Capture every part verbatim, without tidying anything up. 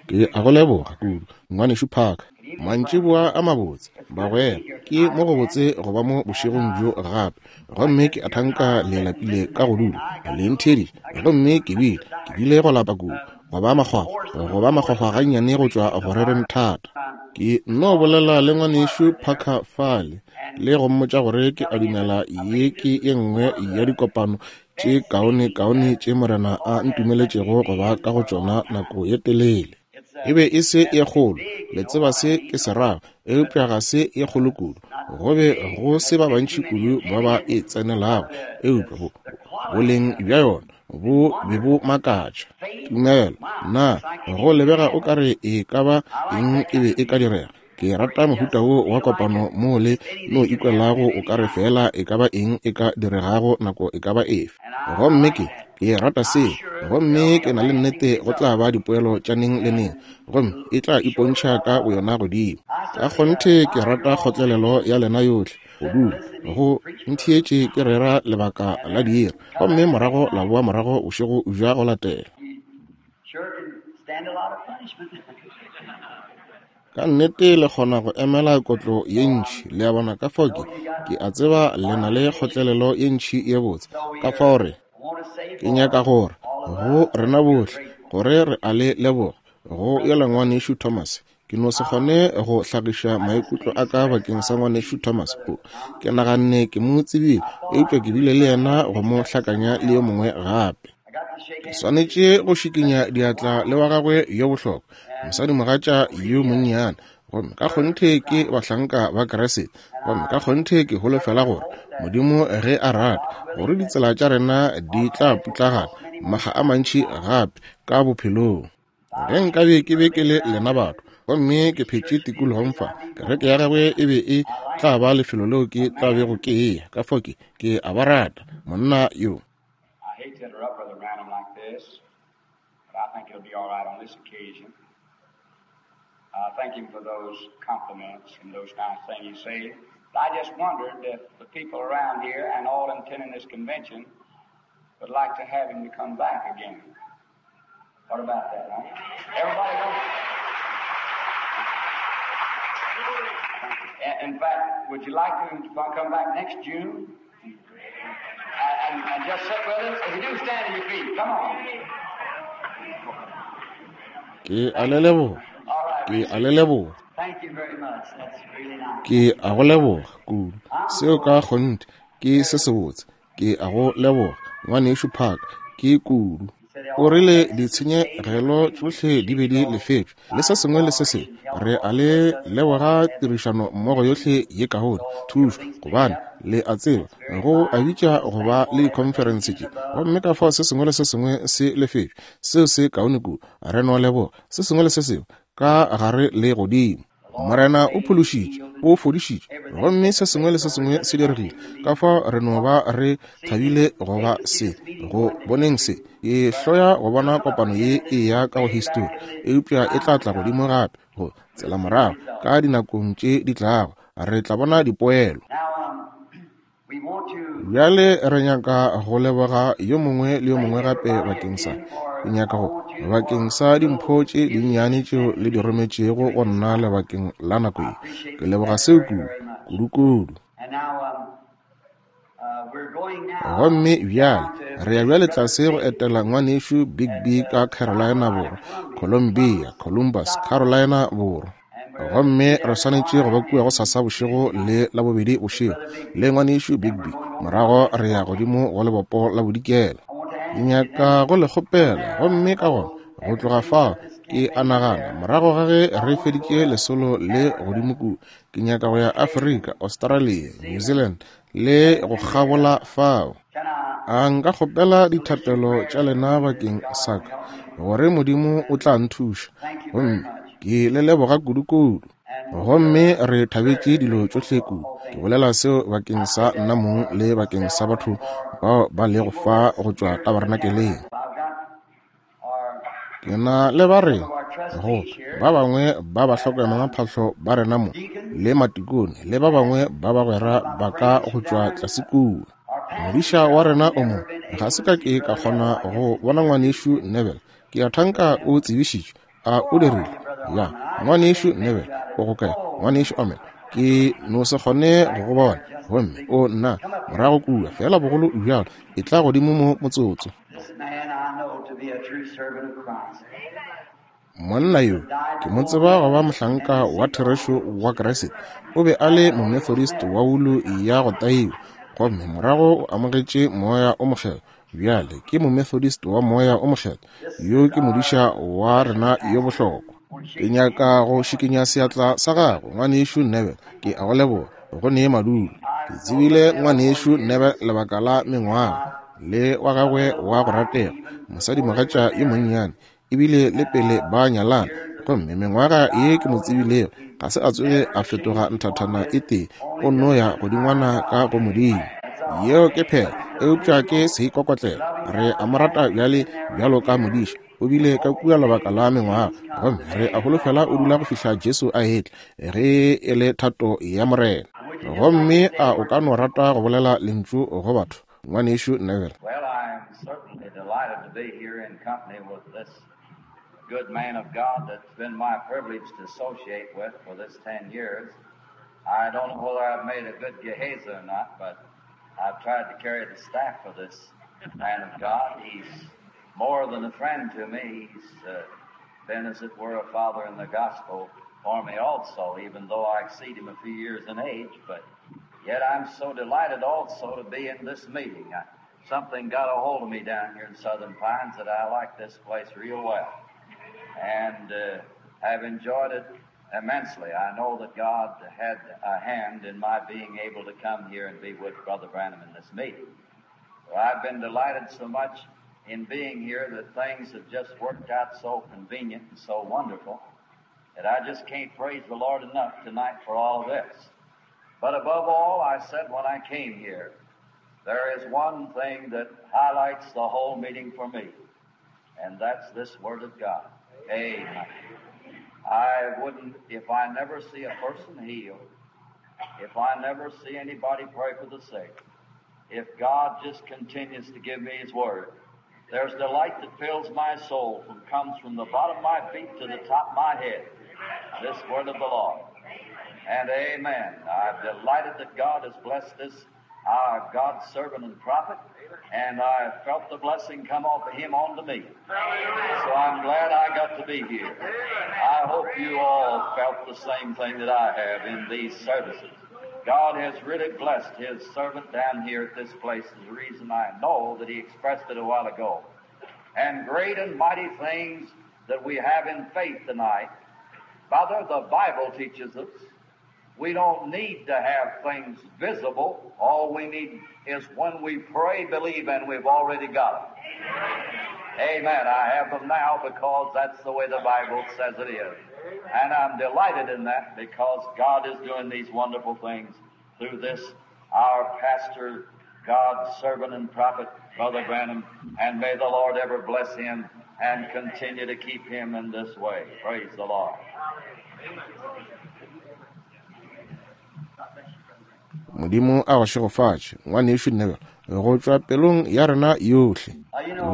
Ke a go leboga kudu, Ngwanešu Parker. Mantšiboa a mabotse, bagwera. Ke mo go botse go ba mo bošegong bjo gape. Gomme ke a thanka le lapile ka go dula le ntheeditše. Gomme ke bile, ke bile go lapa kudu, go ba makgwakgwa, go ba makgwakgwa gannyane go tšwa go rereng thata. Ke nno bolela le Ngwanešu Parker fale, le go mmotša gore ke a dumela ye ke ye nngwe ya dikopano tše kaone-kaone tše Morena a ntumeletšego go ba ka go tšona nako ye telele. E be e se ye kgolo, le tseba se ke se rago, eupša ga se ye kgolo kudu. Go be go se ba bantši kudu ba ba e tsenelago, eupša bo, boleng bja yona bo be bo makatša. Tumelo, na go lebega o ka re e ka ba eng e be e ka direga? Ke rata mohuta wo wa kopano mo le no ikwelago o ka re fela e ka ba eng e ka diregago nako e ka ba efe. Gomme ke, ke rata seo, gomme ke na le nnete go tla ba dipoelo tša neng le neng, gomme e tla ipontšha ka boyona godimo. Ka kgonthe ke rata kgotlelelo ya lena yohle, go dula go ntheetše ke rera lebaka la diiri, gomme morago la boa morago bošego bja go latela. Ka nnete le kgona go emela kotlo ye ntši, le a bona. Ka fao ke, ke a tseba le na le kgotlelelo ye ntši ye botse. Ka fao re, ke nyaka gore go rena bohle gore re a le leboga go yola Ngwanešu Thomas. Ke no se kgone go hlagiša maikutlo a ka bakeng sa Ngwanešu Thomas. O, ke naganne ke mo tsebile, eupša ke bile le yena go mo hlakanya le yo mongwe gape. Ke swanetše go šikinya diatla le wa gagwe yo bohlokwa, mosadimogatša yo monnyane. Gomme ka kgonthe ke bahlanka ba Kriste, gomme ka kgonthe ke holofela gore Modimo ge a rata gore ditsela tša rena di tla putlagana makga a mantši gape ka bophelong. Ge nkabe ke be ke le lena batho, gomme ke phetše tikologong fa, kereke ya gagwe e be e tla ba lefelo leo ke tla bego ke eya. Ka fao ke, ke a ba rata monna yo. I hate to interrupt Brother Branham like this, but I think it'll be all right on this occasion. I thank him for those compliments and those nice things he said. But I just wondered if the people around here and all attending this convention would like to have him to come back again. What about that, huh? Everybody wants. In fact, would you like him to come back next June? And, and, and just sit with us? If you do, stand on your feet. Come on. Ke a le leboga. Ke a le leboga. Thank you very much. That's really nice. Ke a go leboga kudu. Seo ka kgonthe ke se sebotse. Ke a go leboga, Ngwanešu Parker, ke kudu. O rile ditshenyegelo tšohle di be di lefetšwe, le se sengwe le se sengwe. Re a le leboga tirišano mmogo yohle ye kaone, thušo, gobane le a tseba go a bitša go ba le dikhonferense tše, gomme ka fao se sengwe le se sengwe se lefetšwe. Seo se kaone kudu. Re no leboga se sengwe le se sengwe ka gare le godimo. Morena o phološitše, o fodišitše, gomme se sengwe le se sengwe se diregile. Ka fao re no ba re thabile go ba se, go boneng se. Ke hloya go bona kopano ye e ya ka go histori, eupša e tla tla godimo gape go tsela morago ka dinakong tše di tlago. Re tla bona dipoelo. Bjale re nyaka go leboga yo mongwe le yo mongwe gape bakeng sa, ke nyaka go bakeng sa dimpho tše dinnyane tšeo le di rometšego go nna lebakeng la nako ye. Ke leboga seo kudu, kudu-kudu. Gomme bjale re ya bjale tlase go etela Ngwanešu Bigby ka Carolina Borwa, Columbia, Columbus, Carolina Borwa. Gomme re swanetše go ba kua go sasa bošego le Labobedi bošego le Ngwanešu Bigby. Morago re ya godimo go lebopo la bodikela. Ke nyaka go le kgopela, gomme ka gona go tloga fao ke a nagana morago ga ge re feditše lesolo le godimo kua, ke nyaka go ya Afrika, Australia, New Zealand le go kgabola fao. A nka kgopela dithapelo tša lena bakeng sa ka, gore Modimo o tla nthuša. Gomme ke le leboga kudu-kudu. Gomme re thabetše dilo tšohle kudu. Ke bolela seo bakeng sa nna mong le bakeng sa batho bao ba lego fa go tšwa tabernakeleng. Ke na le ba re go ba bangwe ba ba hlokomela ba rena mo, le matikone le ba bangwe ba bagwera ba ka go tšwa tlase kua. Modiša wa rena o mo, ga se ka ke ka kgona go bona Ngwanešu Neville. Ke a thanka o tsebišitšwe. A o dirile? Ya, ngwanešu Neville, o go kae? Ngwanešu Amen, ke no se kgone go go bona. Gomme o nna morago kua, fela bogolo bjalo, e tla godimo mo motsotso. Monna yo ke mo tseba go ba mohlanka wa therešo wa Kriste. O be a le Momethodist wa wulu ya go taiwa, gomme morago o amogetše Moya o Mokgethwa. Bjale ke Momethodist wa Moya o Mokgethwa. Yo ke modiša wa rena yo bohlokwa. Ke nyaka go šikinya seatla sa gago, ngwanešu Neville. Ke a go leboga go nee madulo. Ke tsebile ngwanešu Neville lebaka la mengwaga, le wa gagwe wa go ratega, mosadimogatša yo monnyane, ebile le pele ba nyalana. Gomme mengwaga ye ke mo tsebilego, ga se a tsoge a fetoga nthathana e tee, o no ya godingwana ka go Modimo. Yeo ke phela, eupša ke seikokotlelo. Re a mo rata bjale bjalo ka modiša. O bile ka kua lebaka la mengwaga, gomme re a holofela o dula go fihla Jesu a etla, ge e le thato ya Morena. Gomme a o ka no rata go bolela lentšu go batho, ngwanešu Neville? Well, I am certainly delighted to be here in company with this good man of God that's been my privilege to associate with for this ten years. I don't know whether I've made a good Gehazi or not, but I've tried to carry the staff for this man of God. He's more than a friend to me. He's uh, been, as it were, a father in the gospel for me also, even though I exceed him a few years in age. But yet I'm so delighted also to be in this meeting. I, something got a hold of me down here in Southern Pines that I like this place real well, and uh, have enjoyed it immensely. I know that God had a hand in my being able to come here and be with Brother Branham in this meeting. So I've been delighted so much in being here that things have just worked out so convenient and so wonderful that I just can't praise the Lord enough tonight for all of this. But above all, I said when I came here, there is one thing that highlights the whole meeting for me, and that's this Word of God. Amen. I wouldn't, if I never see a person healed, if I never see anybody pray for the sick, if God just continues to give me His Word, there's delight that fills my soul, from comes from the bottom of my feet to the top of my head. This Word of the Lord. And amen. I'm delighted that God has blessed this, our God's servant and prophet, and I felt the blessing come off of him onto me. So I'm glad I got to be here. I hope you all felt the same thing that I have in these services. God has really blessed His servant down here at this place is the reason I know that he expressed it a while ago. And great and mighty things that we have in faith tonight. Brother, the Bible teaches us we don't need to have things visible. All we need is when we pray, believe, and we've already got them. Amen. I have them now because that's the way the Bible says it is. And I'm delighted in that because God is doing these wonderful things through this, our pastor, God's servant and prophet, Brother Branham. And may the Lord ever bless him and continue to keep him in this way. Praise the Lord. Modimo a go šegofatše, ngwanešu Neville, go tšwa pelong ya rena yohle.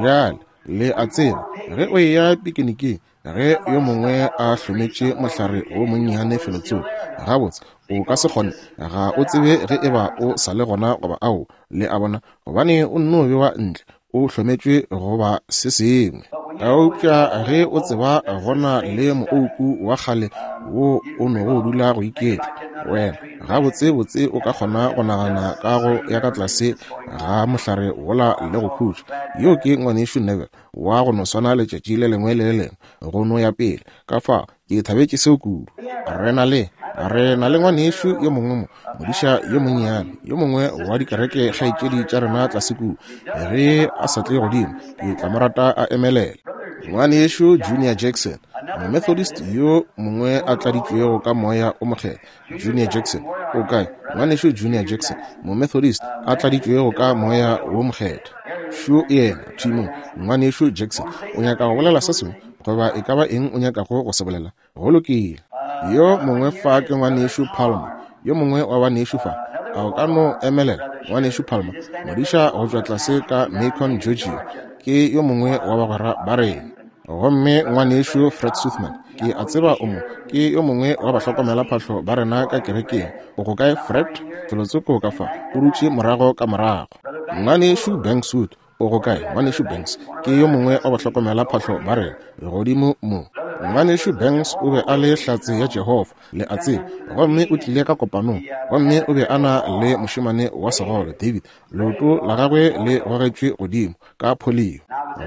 Bjale le a tseba, ge o eya pikiniking, ge yo mongwe a hlometše mohlare o monnyane felotsoko, gabotse o ka se kgone, ga o tsebe ge eba o sa le gona goba ao, le a bona, gobane o nno bewa ntle, o hlometšwe goba se sengwe. Eupša ge o tseba gona le moouku wa kgale wo o nogo dula go iketla, wena gabotsebotse o ka kgona go nagana ka go ya ka tlase ga mohlare wola le go khutša. Yo ke ngwanešu Neville wa go no swana letšatši le lengwe le le lengwe go no ya pele. Ka fao ke thabetše seo kudu. Re na le re na le ngwanešu yo mongwe mo, modiša yo monnyane, yo mongwe wa dikereke kgaetšedi tša rena tlase kua. Ge a sa tle godimo, ke tla mo rata a emelela. Ngwanešu Junior Jackson, Momethodist yo mongwe a tladitšwego ka Moya o Mokgethwa. Junior Jackson, o kae? Ngwanešu Junior Jackson, Momethodist a tladitšwego ka Moya wo Mokgethwa. Šo yena, thwi mo, ngwanešu Jackson, o nyaka go bolela se sengwe goba e ka ba eng o nyakago go se bolela? Go lokile. Yo mongwe fa ke ngwanešu Palmer, yo mongwe wa banešu fa. A o ka no emelela, ngwanešu Palmer, modiša go tšwa tlase ka Macon, Georgia, ke yo mongwe wa bagwera ba rena. Gomme ngwanešu Fred Suthman, ke a tseba o mo, ke yo mongwe wa bahlokomelaphahlo ba rena ka kerekeng. O go kae, Fred? Felotsoko ka fa, o dutše morago ka morago. Ngwanešu Banks Wood, o go kae? Ngwanešu Banks ke yo mongwe wa bahlokomelaphahlo ba rena godimo mo. Ngwanešu Banks o be a le hlatse ya Jehofa, le a tseba, gomme o tlile ka kopanong, gomme o be a na le mošemane wa segole David, leoto la gagwe le gogetšwe godimo ka polio.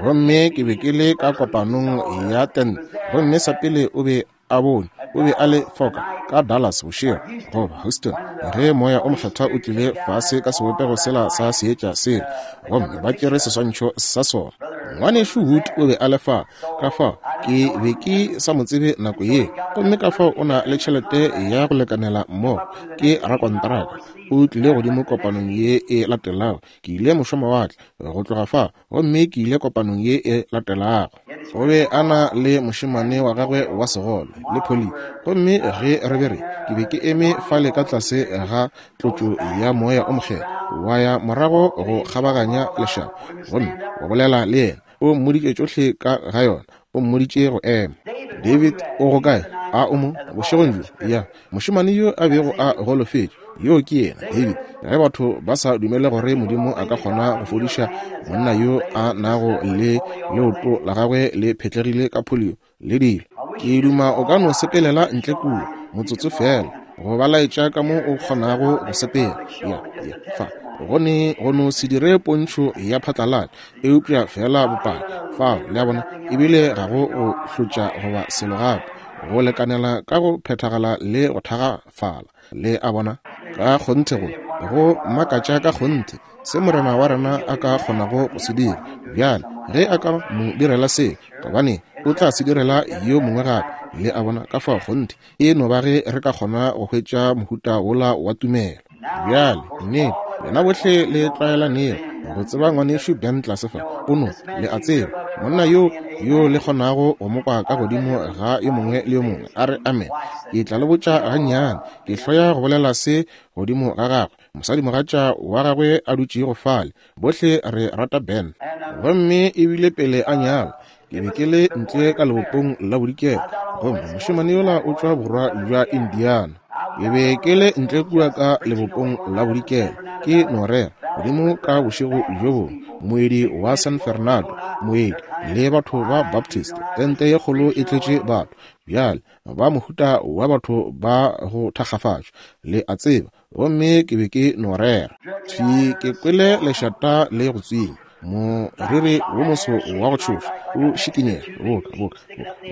Gomme ke be ke le ka kopanong ya tente, gomme sa pele o be a bone, o be a le foka ka Dallas bošego goba Houston, ge moya o mokgethwa o tlile fase ka sebopego sela sa seetša sela, gomme ba tšere seswantšho sa sona. Ngwanešu Wood o be a le fa, ka fao ke be ke sa mo tsebe nako ye, gomme ka fao o na le tšhelete ya go lekanela mmogo, ke rakontraka. O tlile godimo kopanong ye e latelago. Ke ile mošomawatle go tloga fa, gomme ke ile kopanong ye e latelago. O be a na le mošemane wa gagwe wa segole le poli, gomme ge re be re, ke be ke eme fale ka tlase ga tlotšo ya moya o mokgethwa, wa ya morago go kgabaganya lešaba, gomme wa bolela le yena. O mmoditše tšohle ka ga yona, o mmoditše go ema. David o go kae? A o mo bošegong bjo? Ya, mošemane yo a bego a golofetše, yo ke yena David. Ge batho ba sa dumele gore Modimo a ka kgona go fodiša monna yo a nago le leoto la gagwe le phetlegile ka polio le dilo, ke duma o ka no sepelela ntle kua motsotso fela go ba laetša ka mo o kgonago go sepela. Ya, ya, fa go ne go no se dire pontšho ya phatlalatša, eupša fela bopaki fao, le a bona, ebile ga go go hlotša goba selo gape, go lekanela ka go phethagala le go thagafala, le a bona. Ka kgonthe go go makatša ka kgonthe se Morena wa rena a ka kgonago go se dira. Bjale ge a ka mo direla se, gobane o tla se direla yo mongwe gape, le a bona. Ka fao kgonthe e no ba ge re ka kgona go hwetša mohuta wola wa tumelo. Bjale nnete, lena bohle le tlwaelanego go tseba ngwanešu Ben tlase fa, o no le a tseba monna yo yo le kgonago go mo kwa ka godimo ga yo mongwe le yo mongwe a re amen. Ke tla le botša gannyane, ke hloya go bolela se godimo ga gagwe, mosadimogatša wa gagwe a dutšego fale. Bohle re rata Ben, gomme ebile pele a nyala ke be ke le ntle ka lebopong la bodikela, gomme mošemane yola o tšwa borwa bja Indiana. Ke be ke le ntle kua ka lebopong la bodikela, ke no rera godimo ka bošego bjo bongwe, moedi wa San Fernando, moedi le batho ba Baptist, tente ye kgolo e tletše batho. Bjale ba mohuta wa batho ba go thakgafatšwa, le a tseba, gomme ke be ke no rera. Thwi ke kwele lešata le go tswinya, moriri wo moso wa go tšhoša o šikinyega boka boka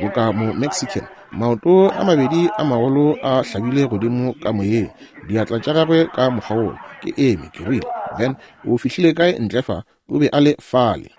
boka mo Mexican, maoto a mabedi a magolo a hlabile godimo ka moyeng, diatla tša gagwe ka mokgwa wola. Ke eme, ke rile, Ben, o fihlile kae ntle fa? O be a le fale.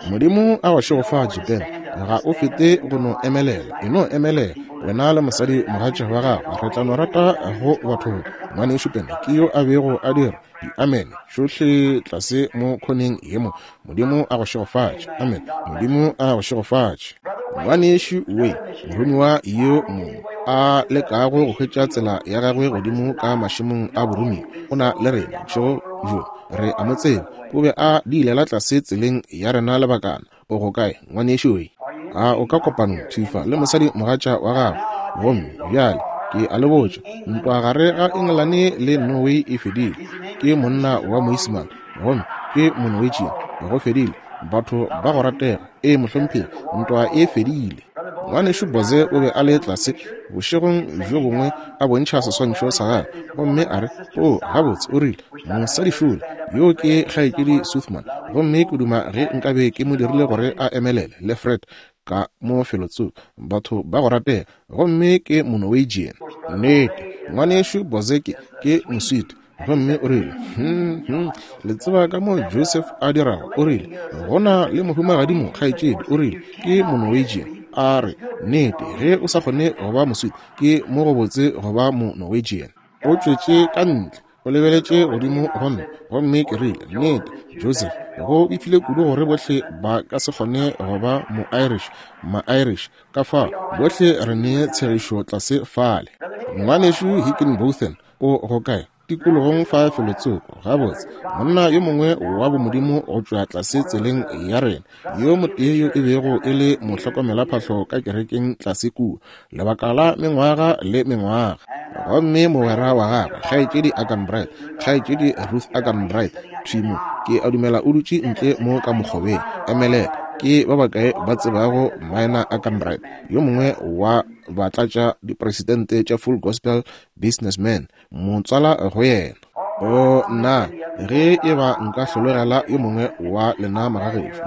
Modimo a go šegofatše, Ben. Ga o fete go no emelela, e no emelela wena le mosadi mogatša wa gago, re tla no rata go batho. Ngwanešu Ben ke yo a bego a dira di-amen tšohle tlase mo khoneng ye mo. Modimo a go šegofatše, amen. Modimo a go šegofatše. Ngwanešu we, moromiwa yo mongwe a lekago go hwetša tsela ya gagwe godimo ka mašemong a boromiwa, o na le rena bošego bjo, re a mo tseba, o be a diilela tlase tseleng ya rena lebakana. O go kae, ngwanešu we? A o ka kopanong thifa le mosadi mogatša wa gagwe? Gomme bjale ke a le botša, ntwa gare ga Engelane le Norway e fedile. Ke monna wa Moisimane, gomme ke Monorwegian. Go fedile, batho ba go ratega. E mohlomphegi, ntwa e fedile. Ngwanešu Boze o be a le tlase bošegong bjo bongwe a bontšha seswantšho sa gagwe, gomme a re, o gabotse, o rile, mosadi šole yo ke kgaetšedi Suthman, gomme ke duma ge nkabe ke mo dirile gore a emelele le Fred ka mo felotsoko, batho ba go ratega, gomme ke Monorwegian. Nnete, ngwanešu Boze ke ke Moswiti. Gomme o rile, hmm, hmm, le tseba ka mo Joseph a dirago. O rile, go na le mohumagadimo kgaetšedi, o rile, ke Monorwegian. A re, nnete, ge o sa kgone go ba Moswiti, ke mo go botse go ba Monorwegian. O tšwetše ka ntle, o lebeletše godimo go nna, gomme ke rile, nnete, Joseph, go befile kudu gore bohle ba ka se kgone go ba mo-Irish, ma-Irish, ka fao bohle re ne tshegišo tlase fale. Ngwanešu Higginbotham o go kae? Tikologong fa felotsoko, gabotse, monna yo mongwe wa bomodimo go tšwa tlase tseleng ya rena, yo motee yo e bego e le mohlokomelaphahlo ka kerekeng tlase kua, lebaka la mengwaga le mengwaga. Gomme mogwera wa gagwe, kgaetšedi Arganbright, kgaetšedi Ruth Arganbright, thwi mo, ke a dumela o dutše ntle mo ka mokgobeng. Emelela, ke ba bakae ba tsebago Minor Arganbright, yo mongwe wa batlatša dipresidente tša Full Gospel Businessman, motswala go yena. O nna, ge e ba nka hlologela yo mongwe wa lena magagešo,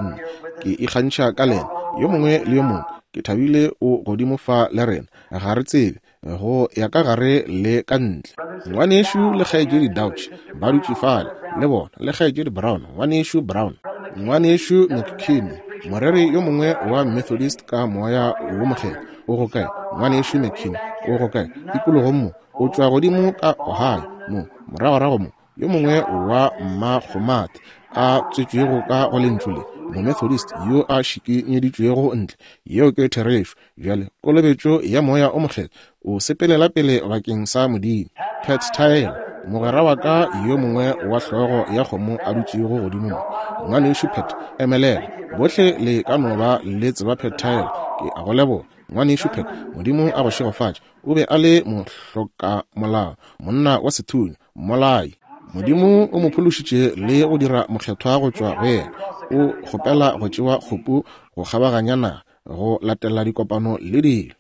ke ikgantšha ka lena, yo mongwe le yo mongwe. Ke thabile o godimo fa le rena, ga re tsebe go ya ka gare le ka ntle. Ngwanešu le kgaetšedi Dauch ba dutše fale le bona, le kgaetšedi Brown, ngwanešu Brown, ngwanešu McKinney, moreri yo mongwe wa Methodist ka moya wo mokgethwa. O go kae ngwanešu McKinney? O go kae? Tikologong mo, o tšwa godimo ka Ohio mo, moragorago mo, yo mongwe wa mmakgomate a tswetšwego ka go lentšu le, Momethodist yo a šikinyeditšwego ntle. Yeo ke therešo. Bjale kolobetšo ya moya o mokgethwa, o sepelela pele bakeng sa Modimo. Pat Tyler, mogwera wa ka yo mongwe wa hlogo ya kgomo a dutšego godimo mo. Ngwanešu Pat, emelela. Bohle le ka no ba le tseba Pat Tyler. Ke a go leboga, ngwanešu Pat. Modimo a go šegofatše. O be a le mohlokamolao, monna wa sethunya, mmolai. Modimo o mo phološitše le go dira mokgethwa go tšwa go yena. O kgopela go tšewa kgopu go kgabaganya naga, go latela dikopano le dilo.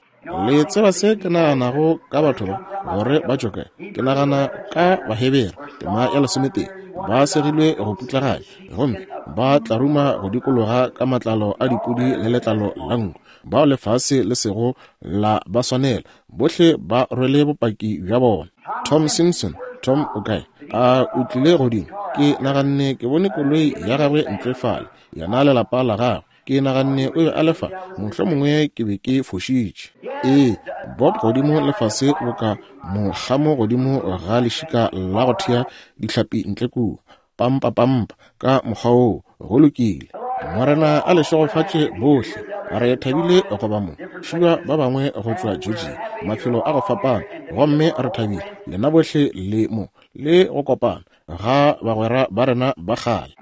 Le tseba se ke naganago ka batho ba, gore ba tšwe kae? Ke nagana ka Bahebere, tema ya lesometee, ba segilwe go putlaganya, gomme ba tlaruma go dikologa ka matlalo a dipudi le letlalo la nku, bao lefase le sego la ba swanela. Bohle ba rwele bopaki bja bona. Tom Simpson, Tom o kae? A o tlile godimo? Ke naganne ke bone koloi ya gagwe ntle fale, yena le lapa la gagwe. Ke naganne o be a le fa, mohlomongwe ke be ke fošitše. Ee, Bob godimo lefase boka mokgamo godimo ga lešika la go thea dihlapi ntle kua, pampa pampa ka mokgwa woo. Go lokile. Morena a le šegofatše bohle. Re thabile go ba mo. Šiwa ba bangwe go tšwa Georgia, mafelo a go fapana, gomme re thabile lena bohle le mo le go kopana ga bagwera ba rena ba kgale.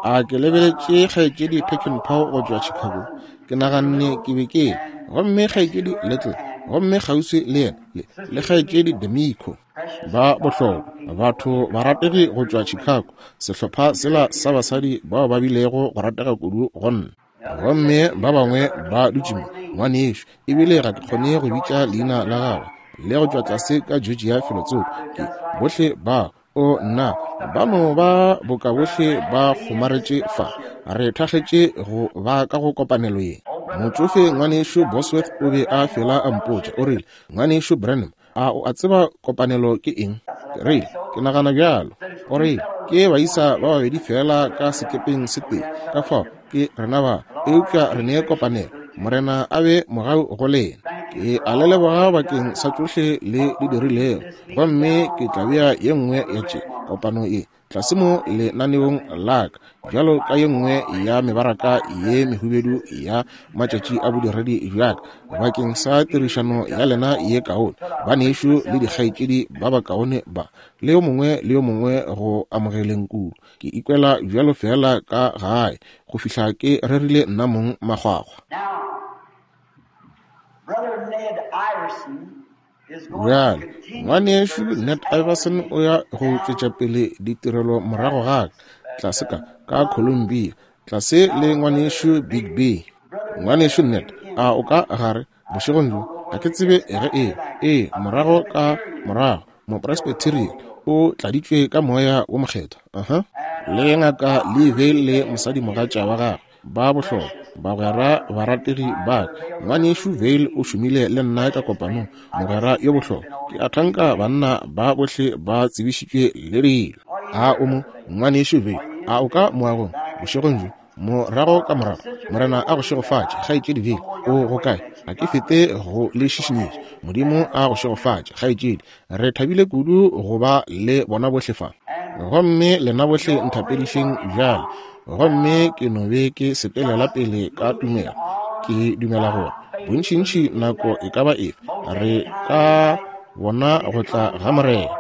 A ke lebeletše kgaetšedi Peckinpaugh go tšwa Chicago. Ke naganne ke be ke, gomme kgaetšedi Little, gomme kgauswi le yena le, le kgaetšedi D'Amico. Ba bohlokwa, batho barategi go tšwa Chicago, sehlopha sela sa basadi bao ba bilego go ratega kudu go nna. Gomme ba bangwe ba dutše mo, ngwanešu, ebile ga ke kgone go bitša leina la gagwe, le go tšwa tlase ka Georgia felotsoko. Ke bohle ba, o nna, ba no ba boka bohle ba kgomaretše fa. Re thakgetše go ba ka go kopanelo ye. Motšofe ngwanešu Bosworth o be a fela a mpotša, o rile, ngwanešu Branham, a o a tseba kopanelo ke eng? Ke rile, ke nagana bjalo. O rile, ke baisa ba babedi fela ka sekepeng se tee, ka fao ke rena ba, eupša re ne kopanelo. Morena a be mogau go lena. Ke a le leboga bakeng sa tšohle le di dirilego, gomme ke tla bea ye nngwe ya tše kopano ye tlase mo lenaneong la ka, bjalo ka ye nngwe ya mebaraka ye mehubedu ya matšatši a bodiredi bja ka, bakeng sa tirišano ya lena ye kaone, banešu le dikgaetšedi ba bakaone ba, le yo mongwe le yo mongwe go amogeleng kudu. Ke ikwela bjalo fela ka gae go fihla ke rerile nna mong makgwakgwa. Bjale, ngwanešu Ned Iverson o ya go tšwetša pele ditirelo morago ga ka, tlase ka ka Columbia, tlase le ngwanešu Big B. Ngwanešu Ned, a o ka gare bošegong bjo? Ga ke tsebe ge e, ee, morago ka morago, Mopresbyterian o tladitšwe ka moya wo mokgethwa. Aha. Le ngaka Lee Vayle le mosadimogatša wa gagwe ba bohlokwa, bagwera barategi ba ka. Ngwanešu Vayle o šomile le nna ka kopanong, mogwera yo bohlokwa. Ke a thanka banna ba bohle ba tsebišitšwe le dilo. A o mo, ngwanešu Vayle? A o ka moagong bošegong bjo? Morago ka morago, Morena a go šegofatše, kgaetšedi Vayle. O go kae? Ga ke fete go le šišinyetša. Modimo a go šegofatše, kgaetšedi. Re thabile kudu go ba le bona bohle fa. Gomme lena bohle nthapedišeng bjale. Gomme ke no be ke sepelela pele ka tumelo. Ke dumela gore bontšintši nako e ka ba efe re ka bona go tla ga Morena.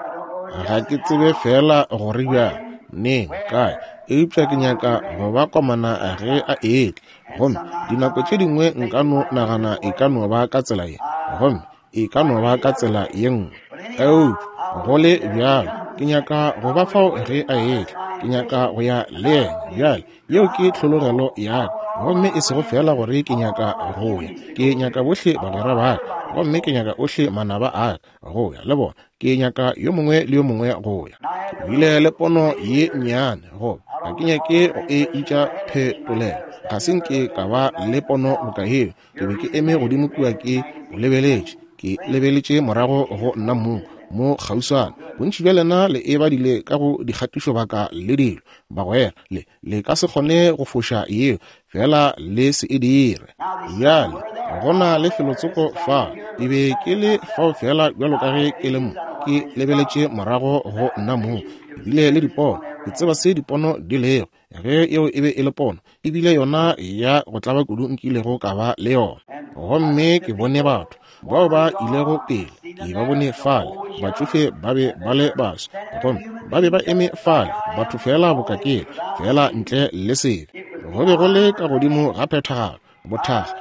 Ga ke tsebe fela gore bjang, neng, kae, eupša ke nyaka go ba komana ge a etla. Gomme dinako tše dingwe nka no nagana e ka no ba ka tsela ye, gomme e ka no ba ka tsela ye nngwe. Eupša go le bjalo, ke nyaka go ba fao ge a etla. Ke nyaka go ya le yena. Bjale, yeo ke tlhologelo ya ka. Gomme e sego fela gore ke nyaka go ya, ke nyaka bohle bagwera ba ka, gomme ke nyaka ohle manaba a ka go ya le bona. Ke nyaka yo mongwe le yo mongwe go ya. Ke bile le pono ye nnyane, goba ga ke nyake go e itša phetolelo. Ga se nke ka ba le pono boka yeo. Ke be ke eme godimo kua ke o lebeletše, ke lebeletše morago go nna mong mo kgauswana. Bontši bja lena le e badile ka go dikgatišobaka le dilo, bagwera. Le le ka se kgone go foša yeo, fela le se e dire. Bjale go na le felotsoko fa. Ke be ke le fao fela bjalo ka ge ke le mo, ke lebeletše morago go nna mong. Ke bile le dipono, ke tseba se dipono di lego. Ge yeo e be e le pono, ebile yona ya go tlaba kudu nkilego ka ba le yona. Gomme ke bone batho bao ba ilego pele, ke ba bone fale, batšofe ba be ba le baswa, gomme ba be ba eme fale, batho fela bokakele, fela ntle le sebe. Go be go le ka godimo ga phethagalo, bothakga.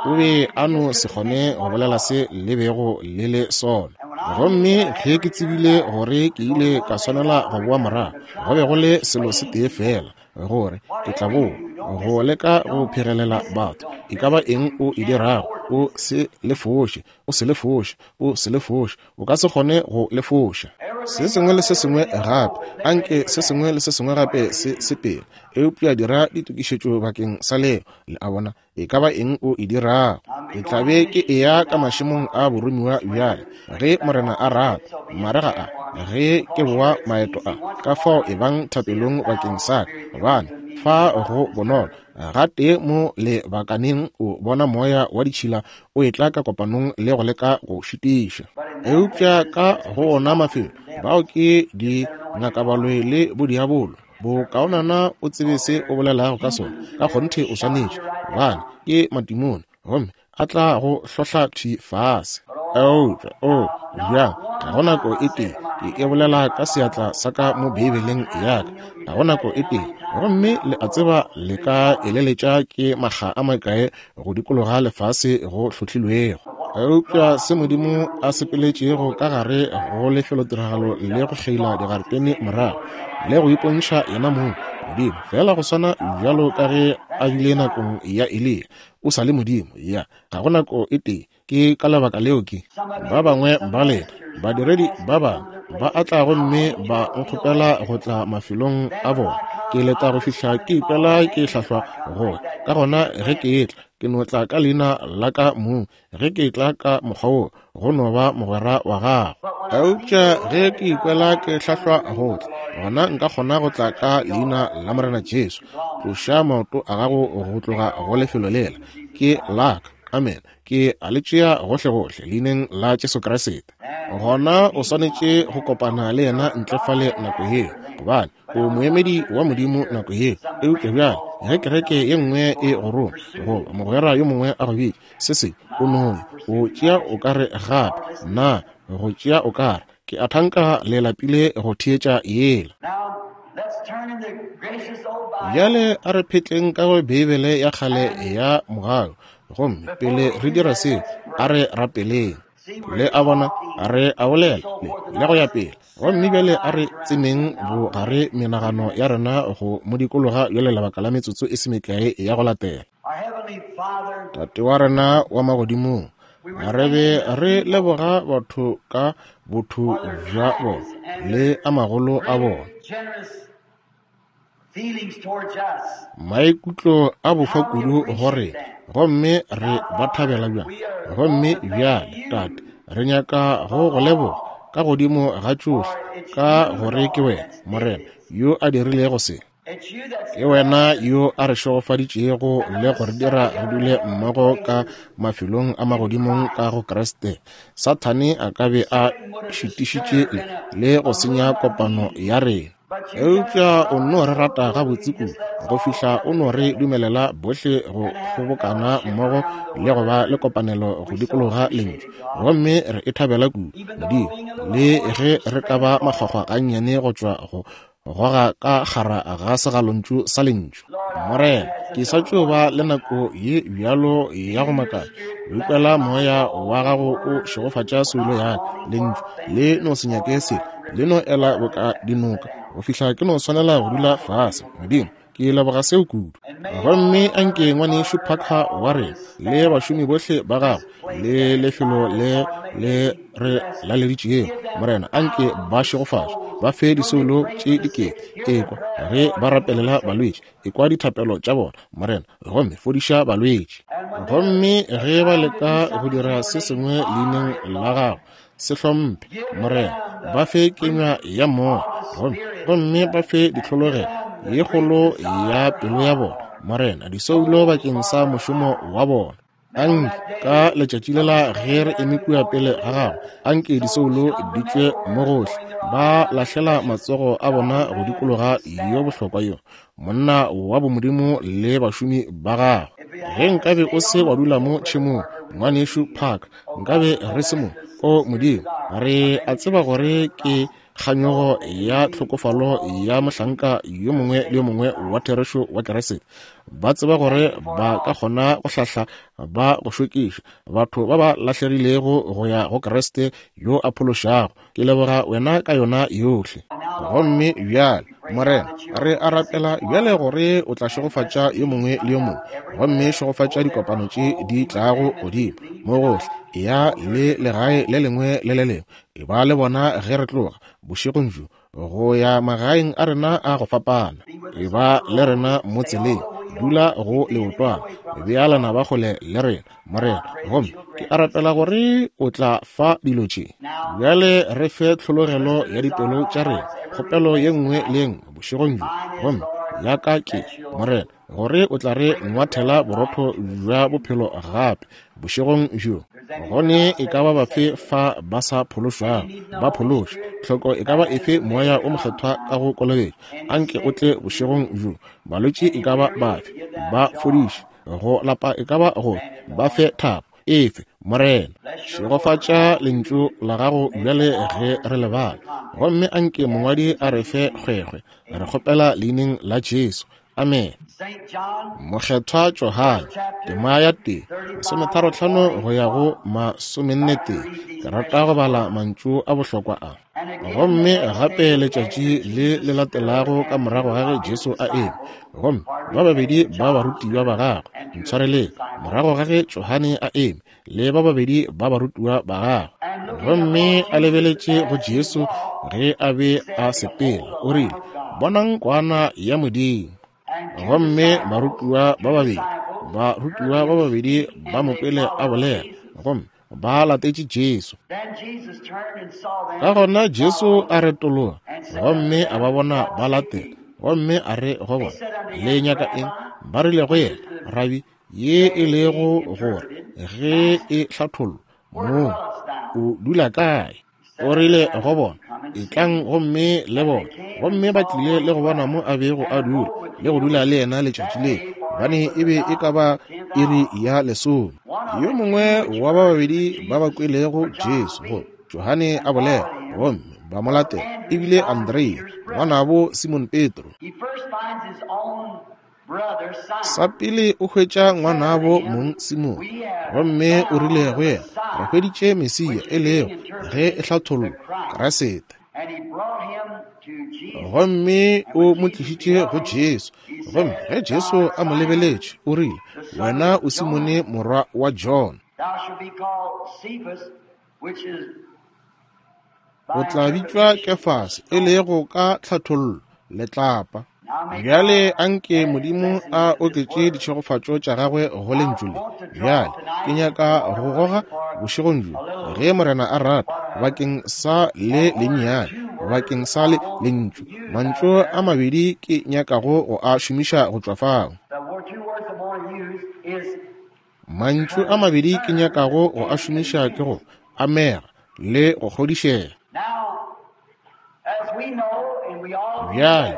O be a no se kgone go bolela se le bego le le sona. Gomme ge ke tsebile gore ke ile ka swanela go boa morago, go be go le selo se tee fela, gore ke tla boa go leka go phegelela batho. E ka ba eng o e dirago, o se le foše, o se le foše, o se le foše. O ka se kgone go le foša. Se sengwe le se sengwe gape, anke se sengwe le se sengwe gape se sepele, eupša dira ditokišetšo bakeng sa leo. Le a bona, e ka ba eng o e dirago. Ke tla be ke eya ka mašemong a boromiwa bjale, ge Morena a rata, marega a, ge ke boa maeto a. Ka fao e bang thapelong bakeng sa ka, gobane fa go bonolo gatee mo lebakaneng o bona moya wa ditšhila o etla ka kopanong le go leka go šitiša. Eupša ka go ona mafelo, bao ke dingakabaloi le bodiabolo. Bokaonana o tsebe se o bolelago ka sona. Ka kgonthe o swanetše, gobane ke matimone, gomme a tla go hlohla thwi fase. Eupša o bjang, ga go nako e tee ke e bolela ka seatla sa ka mo Beibeleng ya ka, ga go nako e tee. Gomme le a tseba le ka eleletša ke makga a makae go dikologa lefase go hlohlilwego. Eupša se Modimo a sepeletšego ka gare go lefelotiragalo le go kgeila digaretene morago le go ipontšha yena mong Modimo, fela go swana bjalo ka ge a bile nakong ya Eliya, o sa le Modimo. Ya, ga go nako e tee. Ke ka lebaka leo ke ba bangwe ba lena badiredi ba bangwe ba a tla gomme ba nkgopela go tla mafelong a bona. Ke leta go fihla ke ikwela ke hlahlwa go ya. Ka gona ge ke etla, ke no tla ka leina la ka mong. Ge ke tla ka mokgwa wo, go no ba mogwera wa gago. Eupša ge ke ikwela ke hlahlwa go tla, gona nka kgona go tla ka leina la Morena Jesu. Tloša maoto a gago go tloga go lefelo lela, ke la ka. Amen. Ke a le tšea gohlegohle leineng la Jesu Kriste. Gona o swanetše go kopana le yena ntle fale nako yeo, gobane o moemedi wa Modimo nako yeo. Eupša bjale ge kereke ye nngwe e go roma, goba mogwera yo mongwe a go bitša se se, o no o tšea o ka re gape na go tšea o ka re ke a thanka le lapile go theetša yela. Bjale a re phetleng ka go Beibele ya kgale ya mogau. Gomme pele re dira seo, a re rapeleng. Le a bona, re a bolela le, le go ya pele. Gomme bjale a re tsemeng bogare menagano ya rena go mo dikologa bjale lebaka la metsotso e se mekae ya go latela. Tate wa rena wa magodimong, re be re leboga batho ka botho bja bona le a magolo a bona, maikutlo a bofa kudu go rena, gomme re ba thabela bjang. Gomme bjale Tate, re nyaka go go leboga ka godimo ga tšohle, ka gore ke wena Morena yo a dirilego se. Ke wena yo a re šegofaditšego le go re dira re dule mmogo ka mafelong a magodimong ka go Kriste. Sathane a ka be a šitišitše le, le go senya kopano ya rena. Eupša o nno re rata gabotse kudu go fihla o no re dumelela bohle go kgobokana mmogo le go ba le kopanelo go dikologa lentšu, gomme re e thabela kudu, Modimo, le ge re ka ba makgwakgwa gannyane go tšwa go goga ka kgara ga segalontšu sa lentšu. Morena, ke sa tšo ba le nako ye bjalo ya go makatša, o ikwela moya wa gago o šegofatša soulo ya ka. Lentšu le no se nyake selo, le no ela boka dinoka go fihla ke no swanela go dula fase. Modimo, ke leboga seo kudu. Gomme anke ngwanešu Parker wa rena le bašomi bohle ba gagwe le lefelo le le re laleditšego, Morena, anke ba šegofatše, ba fe disoulo tše dikete. Ekwa ge ba rapelela balwetši, ekwa dithapelo tša bona, Morena, gomme fodiša balwetši. Gomme ge ba leka go dira se sengwe leineng la gago, se hlomphe, Morena, ba fe kenywa ya moya, gomme gomme ba fe ditlhologelo ye kgolo ya pelo ya bona, Morena, disoulo bakeng sa mošomo wa bona. Anke ka letšatši lela ge re eme kua pele ga gago, anke disoulo di tšwe mo gohle, ba lahlela matsogo a bona go dikologa yo bohlokwa yo, monna wa bomodimo le bašomi ba gagwe. Ge nkabe o se wa dula mo tšhemong, ngwanešu Parker, nkabe re se mo. O Modimo, re a tseba gore ke kganyogo ya tlhokofalo ya mohlanka yo mongwe le yo mongwe wa therešo wa Keresete. Ba tseba gore ba ka kgona go hlahla ba go šokiša batho ba ba lahlegilego go ya go Kriste yo a phološago. Ke leboga wena ka yona yohle. Gomme bjale, Morena, re a rapela bjale gore o tla šegofatša yo mongwe le yo mongwe, gomme šegofatša dikopano tše di tlago godimo mo gohle, ya le legae le lengwe le le lengwe. E ba le bona ge re tloga bošegong bjo go ya magaeng a rena a go fapana. E ba le rena mo tseleng, dula go leotwana, bea lenaba kgole le rena, Morena. Gomme ke a rapela gore o tla fa dilo tše. Bjale re fe tlhologelo ya dipelo tša rena, kgopelo ye nngwe le ye nngwe bošegong bjo. Gomme ya ka ke, Morena, gore o tla re ngwathela borotho bja bophelo gape bošegong bjo. Gone e ka ba bafe fa ba sa phološwago, ba phološe. Tlhoko e ka ba efe moya o mokgethwa ka go kolobetša, anke o tle bošegong bjo. Balwetši e ka ba bafe, ba fodiše. Go lapa e ka ba go ba fe thapo efe, Morena. Šegofatša lentšu la gago bjale ge re le bala, gomme anke mongwadi a re fe kgwekgwe. Re kgopela leineng la Jesu, amen. Mokgethwa Johane, tema ya tee, masometharohlano go ya go masomenne tee. Ke rata go bala mantšu a bohlokwa a. Gomme gape letšatši le le latelago ka morago ga ge Jesu a eme, gomme ba babedi ba barutiwa ba gagwe, ntshwareleng, morago ga ge Johane a eme le ba babedi ba barutiwa ba gagwe, gomme a lebeletše go Jesu ge a be a sepela, o rile, bonang kwana ya Modimo. Gomme barutiwa ba babedi, barutiwa ba babedi ba mo kwele a bolela, gomme ba latetše Jesu. Ka gona Jesu a retologa, gomme a ba bona ba latela, gomme a re go bona, le nyaka eng? Ba rile go yena, Rabi, ye e lego gore ge e hlathollwa mo o dula kae? O rile go bona, etlang gomme le bona. Gomme ba tlile le go bona mo a bego a dula, le go dula le yena letšatši leo, gobane e be e ka ba iri ya lesome. Yo mongwe wa ba babedi ba ba kwelego Jesu go Johane a bolela, gomme ba mo latela, ebile Andrea, ngwanabo Simon Petro. Sa pele o hwetša ngwanabo mong Simon, gomme o rile go yena, re hweditše Mesia, e lego ge e hlathollwa Kriste. Gomme o mo tlišitše go Jesu. Gomme ge Jesu a mo lebeletše, o rile, wena o Simone morwa wa John, o tla bitšwa Kefase, e lego ka tlhathollo letlapa. Bjale anke Modimo a oketše ditšhegofatšo tša gagwe go lentšu le. Bjale ke nyaka go goga bošegong bjo, ge Morena a rata, bakeng sa le lennyane, bakeng sa le lentšu, mantšu a mabedi ke nyakago go a šomiša go tšwa fao. Mantšu a mabedi ke nyakago go a šomiša ke go amega le go kgodišega. Bjale,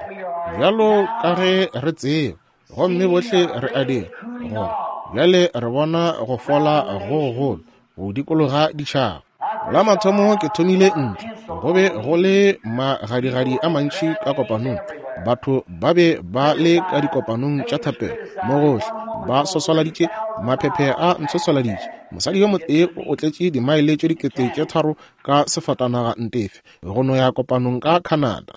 bjalo ka ge re tseba, gomme bohle re a dira, gore bjale re bona go fola go gogolo go dikologa ditšhaba. La mathomo ke thomile ntle, go be go le magadigadi a mantši ka kopanong. Batho ba be ba le ka dikopanong tša thapelo mo gohle, ba swaswaladitše, maphephe a ntshwaswaladitše. Mosadi yo motee o otletše dimaele tše dikete tše tharo ka sefatanaga ntefe go no ya kopanong ka Canada.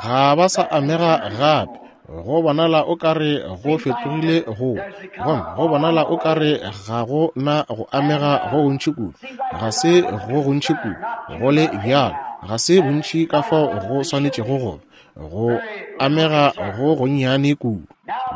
Ga ba sa amega gape. Go bonala o ka re go fetogile go, gomme go bonala o ka re ga go na go amega go gontši kudu. Ga se go gontši kudu, go le bjalo, ga se bontši ka fao go swanetšego go ba, go amega go gonnyane kudu.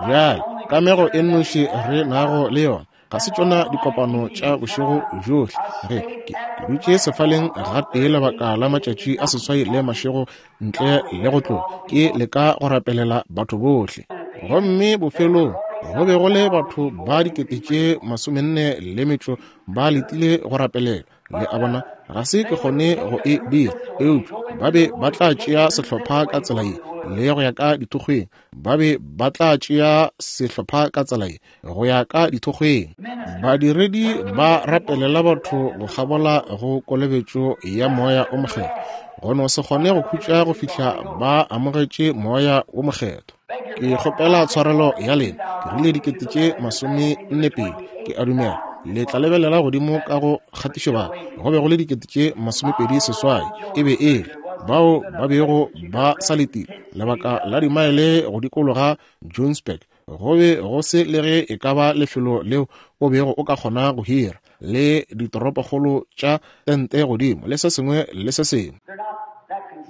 Bjale, kamego e nnoši re nago le yona ga se tšona dikopano tša bošego bjohle. Ge ke dutše sefaleng gatee lebaka la matšatši a seswai le mašego ntle le go tloga, ke leka go rapelela batho bohle. Gomme bofelong go be go le batho ba dikete tše masomenne le metšo ba letile go rapelela. Le a bona, ga se ke kgone go e dira, eupša ba be ba tla tšea sehlopha ka tsela ye le go ya ka dithokgweng. Ba be ba tla tšea sehlopha ka tsela ye go ya ka dithokgweng. Badiredi ba rapelela batho go kgabola go kolobetšo ya Moya o Mokgethwa, go no se kgone go khutša go fihla ba amogetše Moya o Mokgethwa. Ke kgopela tshwarelo ya lena, ke rile dikete tše masomenne pedi, ke a dumela le tla lebelela godimo ka go kgatišobaka, go be go le dikete tše masomepedi seswai e be e le bao ba bego ba sa letile lebaka la dimaele go dikologa Johannesburg. Go be go se le ge e ka ba lefelo leo o bego o ka kgona go hira, le ditoropokgolo tša tente godimo le se sengwe le se sengwe.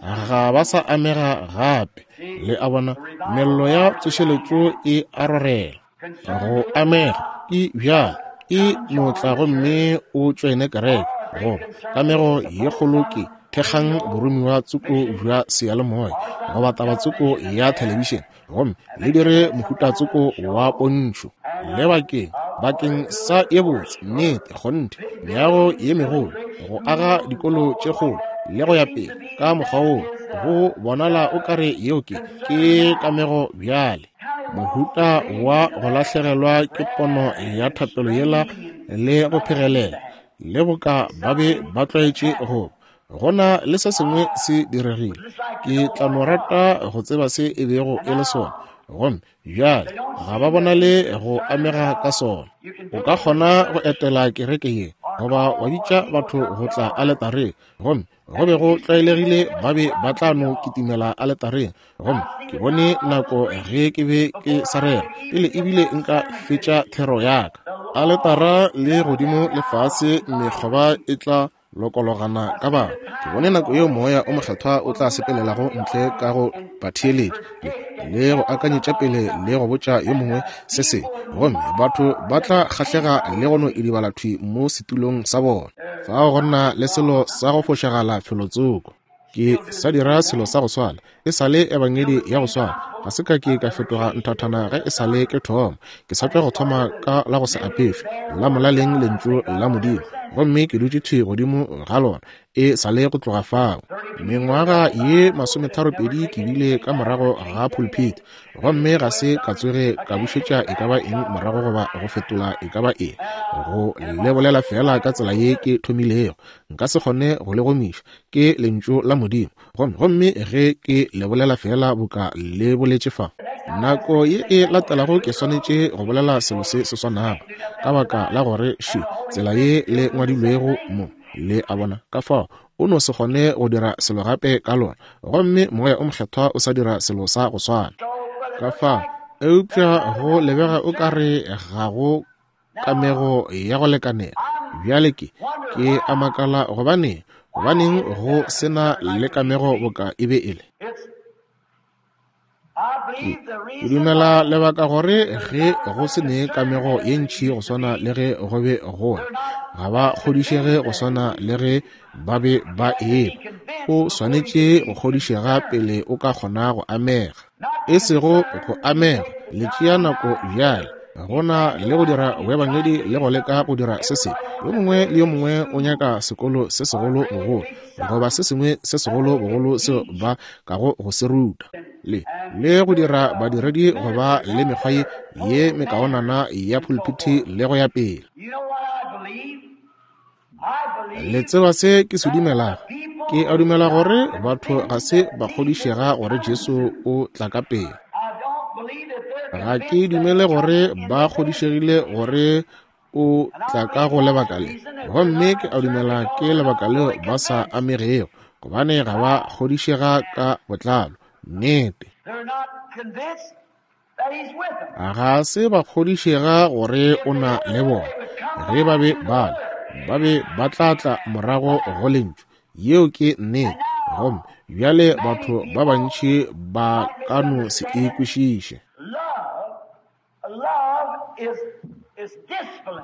Ga ba sa amega gape. Le a bona, mello ya tsošeletšo e a rorela. Go amega ke bjalo, e no tla gomme o tšoene kereke. Goba kamego ye kgolo ke thekgang boromiwa tsoko bja seyalemoya goba taba tsoko ya thelebišene, gomme le dire mohuta tsoko wa pontšho le bakeng bakeng sa ye botse, nnete, kgonthe, meago ye megolo, go aga dikolo tše kgolo le go ya pele ka mokgwa woo. Go bonala o kare yeo ke ke kamego bjale. Mohuta wa go lahlegelwa ke pono ya thapelo yela le go phegelela le boka ba be ba tlwaetše go gona le se sengwe se diregile. Ke tla no rata go tseba se e bego e le sona, gomme bjale ga ba bonale go amega ka sona. O ka kgona go etela kereke ye goba wa bitša batho go tla aletareng, gomme go be go tlwaelegile ba be ba tla no kitimela aletareng. Gomme ke bone nako ge ke be ke sa rera pele ebile nka fetša thero ya ka, aletara le godimo le fase mekgoba e tla lokologana ka batho. Ke bone nako yeo Moya o Mokgethwa o tla sepelelago ntle ka go batheeletši le go akanyetša pele le go botša yo mongwe se sengwe, gomme batho ba tla kgahlega le go no idibala thwi mo setulong sa bona. Fao go na le selo sa go fošagala felotsoko. Ke sa dira selo sa go swana, e sa le ebangedi ya go swana. Ga se ka ke ka fetoga nthathana ge e sa le ke thoma. Ke sa tšwa go thoma ka la go se apešwe la molaleng lentšu la Modimo, gomme ke dutše thwi godimo ga lona e sa le go tloga fao. Mengwaga ye masometharopedi ke bile ka morago ga pulpit, gomme ga se ka tsoge ka bušetša e ka ba eng morago goba go fetola e ka ba eng. Go le bolela fela ka tsela ye ke thomilego, nka se kgone go le gomiša, ke lentšu la Modimo. Gomme gomme ge ke le bolela fela boka le boletše fa, nako ye e latelago ke swanetše go bolela selo se se swanago, ka baka la gore še tsela ye le ngwadilwego mo. Le a bona, ka fao o no se kgone go dira selo gape ka lona, gomme Moya o Mokgethwa o sa dira selo sa go swana ka fao. Eupša go lebega o ka re ga go kamego ya go lekanela. Bjale ke ke a makala gobaneng gobaneng go sena le kamego boka e be e le. Ke dumela lebaka gore ge go se ne kamego ye ntši go swana le ge go be gona, ga ba kgodišege go swana le ge ba be ba eba. O swanetše go kgodišega pele o ka kgona go amega, e sego go amega. Le tšea nako bjale. Go na le go dira boebangedi le go leka go dira se sengwe. Yo mongwe le yo mongwe o nyaka sekolo se segolo bogolo, goba se sengwe se segolo bogolo seo ba kago go se ruta, le le go dira badiredi go ba le mekgwa ye ye mekaonana ya pulpiti le go ya pele. Le tseba se ke se dumelago? Ke a dumela gore batho ga se ba kgodišega gore Jesu o tla ka pele. Ga ke dumele gore ba kgodišegile gore o tla ka go lebaka le, gomme ke a dumela ke lebaka leo ba sa amegego, gobane ga ba kgodišega ka botlalo. Nnete, ga se ba kgodišega gore o na le bona. Ge ba be ba le, ba be ba tla tla morago go lentšu. Yeo ke nnete. Gomme bjale batho ba bantši ba ka no se e kwešiše.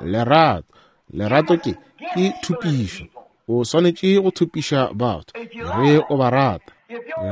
Lerato, lerato ke ke thupišo. O swanetše go thupiša batho ge o ba rata.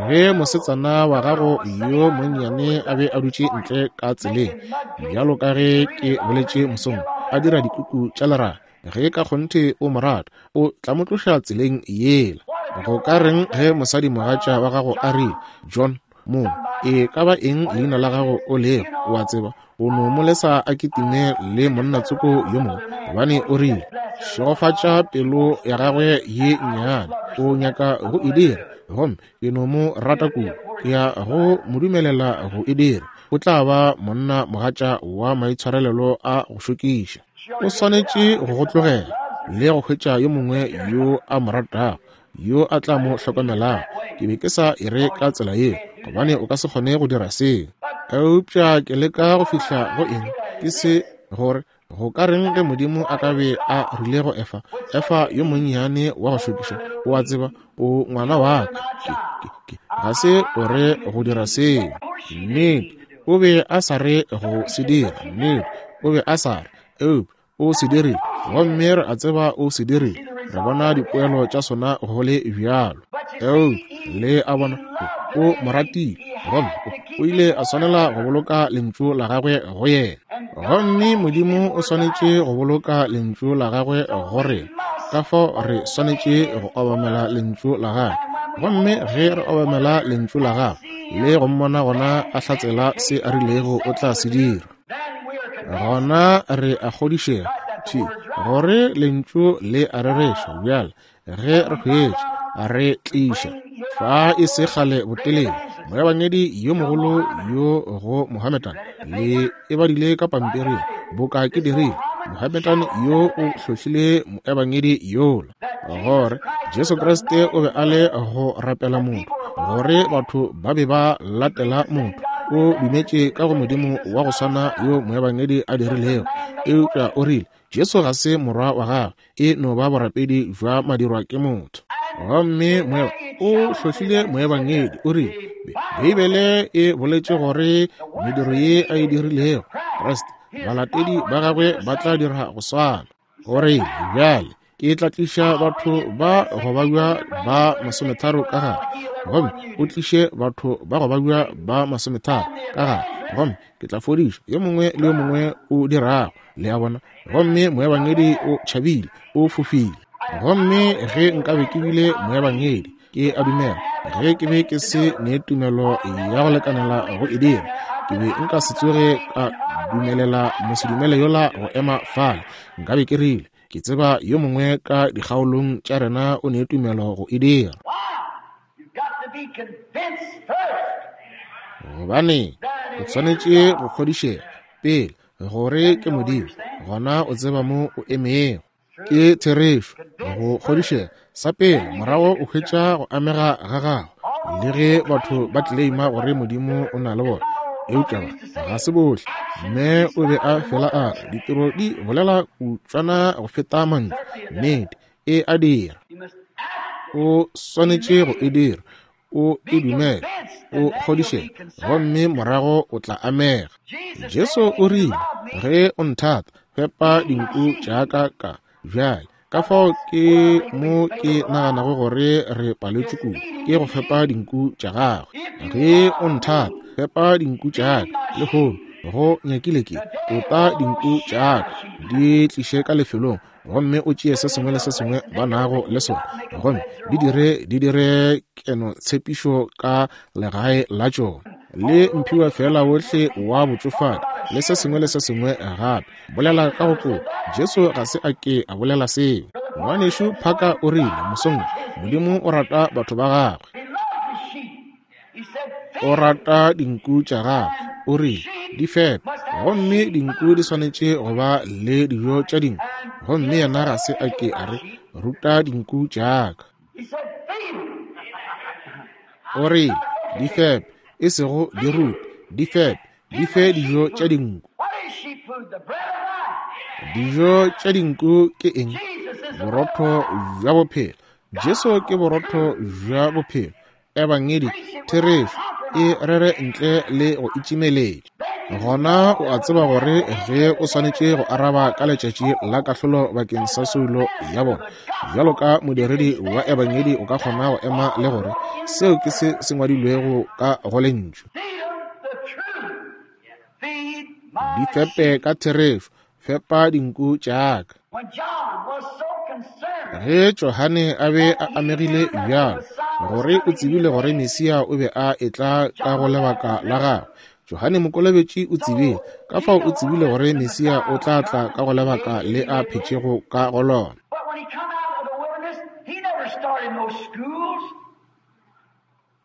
Ge mosetsana wa gago yo monnyane a be a dutše ntle ka tseleng, bjalo ka ge ke boletše mosong, a dira dikuku tša lerato, ge ka kgonthe o mo rata, o tla mo tloša tseleng yela. Go ka reng ge mosadimogatša wa gago a rile, John, mo e ka ba eng leina la gago o lego, o a tseba, o no mo lesa a kitime le monnatsoko yo mongwe, gobane o rile, šegofatša pelo ya gagwe ye nnyane, o nyaka go e dira, gomme ke no mo rata kudu, ke ya go mo dumelela go e dira, o tla ba monna mogatša wa maitshwarelelo a go šokiša. O swanetše go go tlogela le go hwetša yo mongwe yo a mo ratago, yo a tla mo hlokomelago. Ke be ke sa e re ka tsela yeo, gobane o ka se kgone go dira seo. Eupša ke leka go fihla go eng, ke se gore go ka reng ge Modimo a ka be a rile go Efa, Efa yo monnyane wa go šokiša, o a tseba, o ngwana wa ka, ke, ke, ke, ga se o re go dira seo. Nnete, o be a sa re go se dira. Nnete, o be a sa re, eupša o se dirile, gomme re a tseba o se dirile. Re bona dipoelo tša sona go le bjalo. Eupša le a bona, o mo ratile, gomme o ile a swanela go boloka lentšu la gagwe go yena. Gomme Modimo o swanetše go boloka lentšu la gagwe go rena, ka fao re swanetše go obamela lentšu la gagwe. Gomme ge re obamela lentšu la gagwe le go mmona gona a hlatsela se a rilego o tla se dira, gona re a kgodišega thi gore lentšu le a rereša. Bjale ge re hwetša, re tliša fa e se kgale botelele moebangedi yo mogolo yo go Mohammedan, le e badile ka pampiring boka ke dirile, Mohammedan yo o hlohlile moebangedi yola gore Jesu Kriste o be a le go rapela motho, gore batho ba be ba latela motho. O dumetše ka go Modimo wa go swana yo moebangedi a dirilego, eupša o rile Jesu ga se morwa wa gagwe, e no ba borapedi jwa madirwa ke motho. Gomme moeba o hlohlile moebangedi, o rile Beibele e boletše gore mediro ye a e dirilego Kriste, balatedi ba gagwe ba tla dira go swana. O rile bjale ke tla tliša batho ba go babja ba masometharo ka gare, gomme o tliše batho ba go babja ba masometharo ka gare, gomme ke tla fodiša yo mongwe le yo mongwe o dirago. Le a bona? Gomme moebangedi o tšhabile, o fofile. Gomme ge nkabe ke bile moebangedi, ke a dumela ge ke be ke se ne tumelo ya go lekanela go e dira, ke be nka se tsoge ka dumelela mosedumele yola go ema fale. Nkabe ke rile, ke tseba yo mongwe ka dikgaolong tša rena o ne tumelo go e dira. Gobane o swanetše go kgodišega pele gore ke Modimo, gona o tseba mo o emego. Ke therešo go kgodišega sa pele, morago o hwetša go amega ga gago. Le ge batho ba tleleima gore Modimo o na le bona, eupša ga se bohle. Mme o be a fela a re ditiro di bolela kutšwana go feta mantšu. Nnete, e a dira. O swanetše go e dira, o e dumele, o kgodišege, gomme morago o tla amega. Jesu o rile, ge o nthata, fepa dinku tša ka ka. Bjale ka fao ke mo ke naganago gore re paletšwe kudu ke go fepa dinku tša gagwe. Ge o nthata, fepa dinku tša ka. Lehono go nyakile ke tota dinku tša ka di tliše ka lefelong gomme o tšee se sengwe le se sengwe ba nago le sona gomme di dire di dire keno tshepišo ka legae la tšona le mphiwa fela wohle wa botšofadi le se sengwe le se sengwe gape. Bolela ka go tloga. Jesu ga se a ke a bolela seo. Ngwanešu Parker o rile mosong, Modimo o rata batho ba gagwe, o rata dinku tša gagwe. O rile di fepe, gomme dinku di swanetše go ba le dijo tša dinku. Gomme yena ga se a ke a re ruta dinku tša ka. O rile di fepe, e sego di rute, di fepe, di fe dijo tša dinku. Dijo tša dinku ke eng? Borotho bja bophelo. Jesu ke borotho bja bophelo. Ebangedi therešo e rere ntle le go itšimeletša. Gona o a tseba gore ge o swanetše go araba ka letšatši la kahlolo bakeng sa soulo ya bona, bjalo ka modiredi wa ebangedi o ka kgona go ema le gore seo ke se se ngwadilwego ka go lentšu. Di fepe ka therešo, fepa dinku tša ka. Ge Johane a be a amegile bjalo gore o tsebile gore Mesia o be a etla ka go lebaka la gagwe, Johane Mokolobetši o tsebile, ka fao o tsebile gore Mesia o tla tla ka go lebaka le a phetšego ka go lona.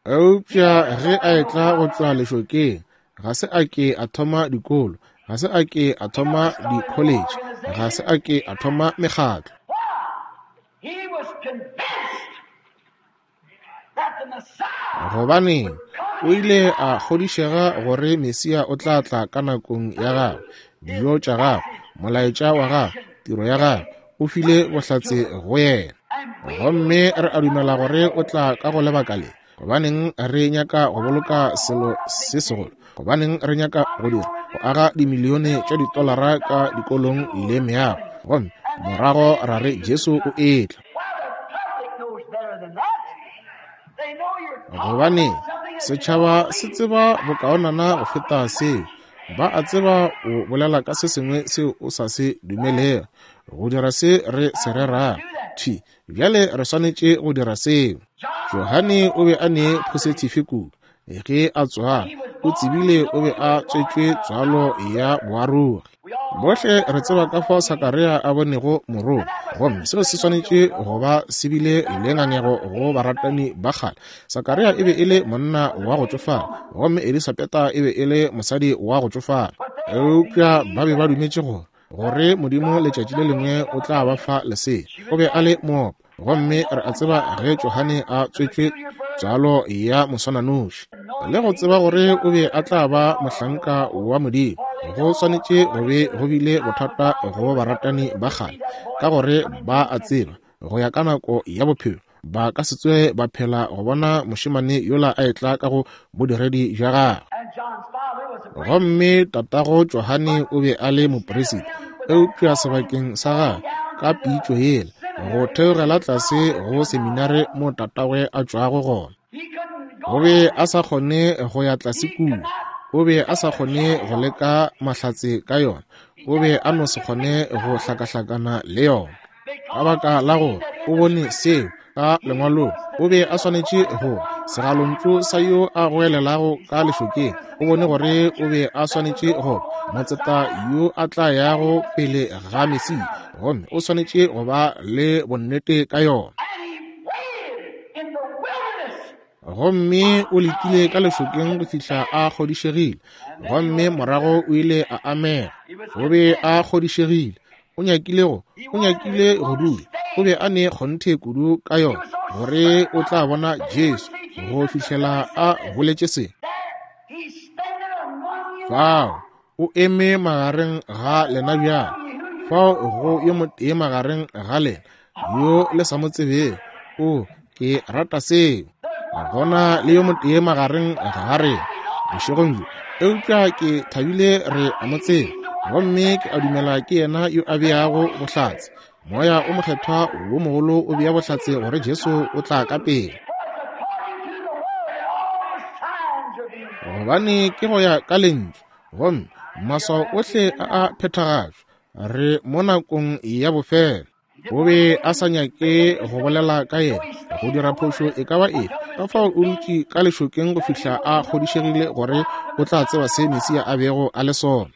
Eupša ge a etla go tšwa lešokeng, ga se a ke a thoma dikolo, ga se a ke a thoma di-college, ga se a ke a thoma mekgatlo. Gobaneng, o ile a kgodišega gore Mesia o tla tla ka nakong ya gagwe, dijo tša gagwe, molaetša wa gagwe, tiro ya gagwe, o file bohlatse go yena. Gomme re a dumela gore o tla ka go lebaka le. Gobaneng re nyaka go boloka selo se segolo? Gobaneng re nyaka go dira go aga dimilione tša ditolara ka dikolong le meago, gomme morago ra re Jesu o etla? Gobaneng, setšhaba se tseba bokaonana go feta seo. Ba a tseba o bolela ka se sengwe seo o sa se dumelego. Go dira se re se rerago thwi bjale, re swanetše go dira seo. Johane o be a ne phosetife kudu ge a tswala. O tsebile o be a tswetšwe tswalo ya boarogi. Bohle re tseba ka fao Sakaria a bonego morongwa, gomme seo se swanetše go ba se bile le ngangego go baratani ba kgale. Sakaria e be e le monna wa go tšofala, gomme Elisabeta e be e le mosadi wa go tšofala. Eupša ba be ba dumetše gore gore Modimo letšatši le lengwe o tla ba fa lesea. O be a le moopa, gomme re a tseba ge Johane a tswetšwe tswalo ya moswananoši, le go tseba gore o be a tla ba mohlanka wa Modimo, go swanetše go be go bile bothata go baratani ba kgale, ka gore ba a tseba go ya ka nako ya bophelo ba ka se tsoge ba phela go bona mošemane yola a etla ka go bodiredi bja gagwe. Gomme tatago Johane o be a le moperisita, eupša sebakeng sa gagwe ka pitšo yela go theogela tlase go seminare mo tatagwe a tšwago gona, o be a sa kgone go ya tlase kua, o be a sa kgone go leka mahlatse ka yona, o be a no se kgone go hlakahlakana le yona, ka baka la gore o bone seo ka lengwalong. O be a swanetše go segalontšu sa yo a goelelago ka lešokeng. O bone gore o be a swanetše go motseta yo a tla yago pele ga Mesia, gomme o swanetše go ba le bonnete ka yona. Gomme o letile ka lešokeng go fihla a kgodišegile, gomme morago o ile a amega. O be a kgodišegile, o nyakile go o nyakile go dula, o be a ne kgonthe kudu ka yona gore o tla bona Jesu go fihlela a boletše se. Fao o eme magareng ga lena bjalo, fao go yo motee magareng ga lena yo le sa mo tsebego. O, ke rata seo. Gona le yo motee magareng ga rena bošegong bjo, eupša ke thabile re a mo tseba, gomme ke a dumela ke yena yo a beago bohlatse. Moya o mokgethwa wo mogolo o bea bohlatse gore Jesu o tla ka pele, gobane ke go ya ka lentšu, gomme Maswao ohle a a phethagatšwa. Re mo nakong ya bofelo. O be a sa nyake go bolela ka yena, go dira phošo e ka ba efe. Ka fao o dutše ka lešokeng go fihla a kgodišegile gore o tla tseba se Mesia a bego a le sona.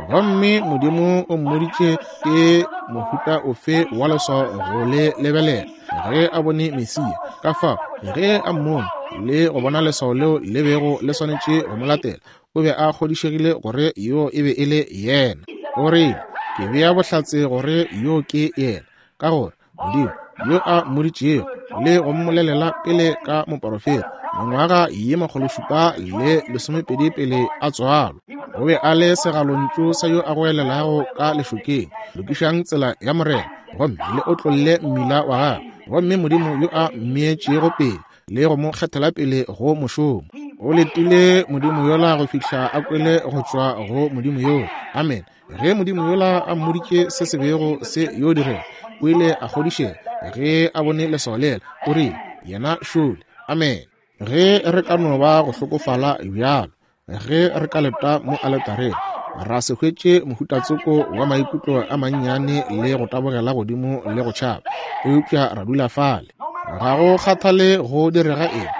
Gomme Modimo o mmoditše ke mohuta ofe wa leswao go le lebelela ge a bone Mesia. Ka fao ge a mmone le go bona leswao leo le bego le swanetše go mo latela, o be a kgodišegile gore yo e be e le yena. O rile, ke bea bohlatse gore yo ke yena, ka gore Modimo yo a mmoditšego le go mmolelela pele ka moporofeta mengwaga ye makgolo šupa le lesomepedi pele a tswalwa. O be a le segalontšu sa yo a goelelago ka lešokeng, lokišang tsela ya Morena, gomme le otlolle mmila wa gagwe. Gomme Modimo yo a mmeetšego pele le go mo kgethela pele go mošomo. O letile Modimo yola go fihla a kwele go tšwa go Modimo yola. Amen. Ge Modimo yola a mmoditše se se bego se yo direga, o ile a kgodišega ge a bone leswao lela. O rile, yena šole. Amen. Ge re ka no ba go hlokofala bjalo, ge re ka leta mo aletareng, ra se hwetše mohutatsoko wa maikutlo a mannyane le go tabogela godimo le go tšhaba, eupša ra dula fale. Ga go kgathale go direga eng,